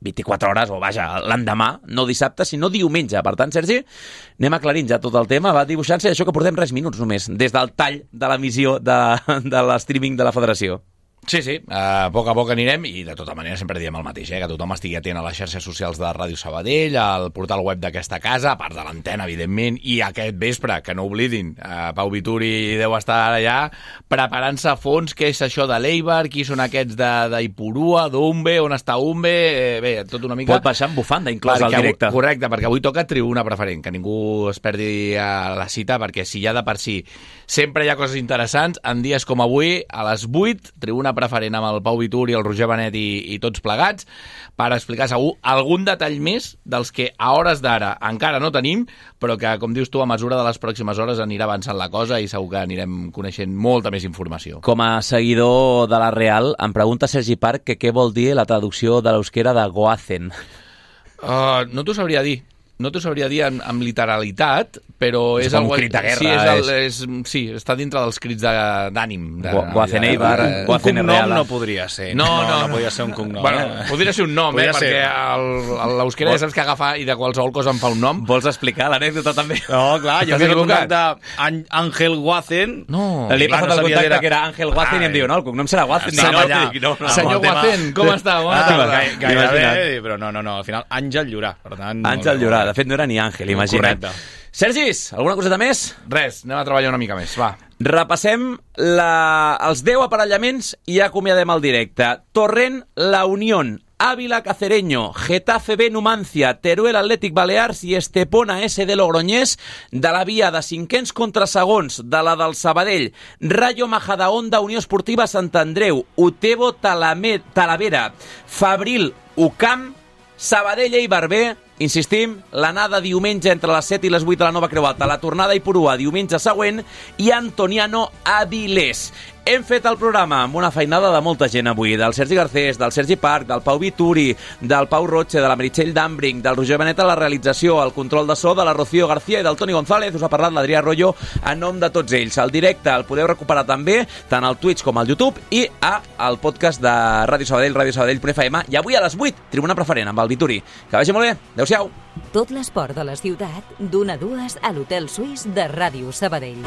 vint-i-quatre hores, o vaja, l'endemà, no dissabte, sinó diumenge. Per tant, Sergi, anem aclarint ja tot el tema, va dibuixant-se, això que portem res minuts només, des del tall de l'emissió de, de l'streaming de la federació. Sí, sí, a poc a poc anirem i de tota manera sempre diem el mateix, eh? Que tothom estigui atent a les xarxes socials de Ràdio Sabadell, al portal web d'aquesta casa, a part de l'antena, evidentment, i aquest vespre, que no oblidin, eh, Pau Vituri deu estar allà preparant-se a fons què és això de l'Eibar, qui són aquests d'Ipurua, d'Umbe, on està Umbe, eh, bé, tot una mica... Pot baixar amb bufanda, inclús al directe. Avui, correcte, perquè avui toca tribuna preferent, que ningú es perdi a la cita, perquè si ja de per si sempre hi ha coses interessants, en dies com avui, a les vuit, tribuna preferent amb el Pau Vituri, el Roger Benet i, i tots plegats, per explicar segur algun detall més dels que a hores d'ara encara no tenim, però que, com dius tu, a mesura de les pròximes hores anirà avançant la cosa i segur que anirem coneixent molta més informació. Com a seguidor de la Real, em pregunta Sergi Parc que què vol dir la traducció de l'euskera de Goazen. Uh, no t'ho sabria dir. No t'ho sabria dir amb, amb literalitat, però és... És com el, un crit de guerra. Sí, és el, és, sí, està dintre dels crits d'ànim. De, Goazen Eibar, Goazen Real. Un cognom no podria ser. No, no, no, no podria ser un cognom. Bueno, eh? podria ser un nom, eh, ser. perquè l'euskera ja saps que agafa i de qualsevol cosa em fa un nom. Vols explicar l'anècdota també? No, clar, jo tinc el contacte Àngel Goazen. No. Li he passat el contacte que era Àngel Goazen i em diu, no, el cognom serà Goazen. Senyor Goazen, com està? Bona tarda. Gairebé, però no, no, no, al final Àngel Llorà. Àngel Llorà, de fet no era ni Àngel, imagina't. Correcte. Sergis, alguna coseta més? Res, anem a treballar una mica més, va. Repassem la... els deu aparellaments i acomiadem el directe. Torrent, La Unión, Ávila Cacereño, Getafe B Numancia, Teruel Atlètic Balears i Estepona S de Logroñés, de la via de cinquens contra segons, de la del Sabadell, Rayo Majadahonda, Unió Esportiva Sant Andreu, Utebo Talame, Talavera, Fabril Ucam, Sabadell Eibar B, insistim, l'anada diumenge entre les set i les vuit de la Nova Creu Alta, la tornada a Ipurua diumenge següent i Antoniano Avilés. Hem fet el programa amb una feinada de molta gent avui, del Sergi Garcés, del Sergi Parc, del Pau Vituri, del Pau Roche, de la Meritxell Dambring, del Roger Benet a la realització, el control de so de la Rocío García i del Toni González. Us ha parlat l'Adrià Arroyo en nom de tots ells. El directe el podeu recuperar també tant al Twitch com al YouTube i a el podcast de Ràdio Sabadell, radio sabadell punt f m, i avui a les vuit, tribuna preferent amb el Vituri. Que vagi molt bé. Adéu-siau. Tot l'esport de la ciutat, d'una a dues a l'Hotel Suís de Ràdio Sabadell.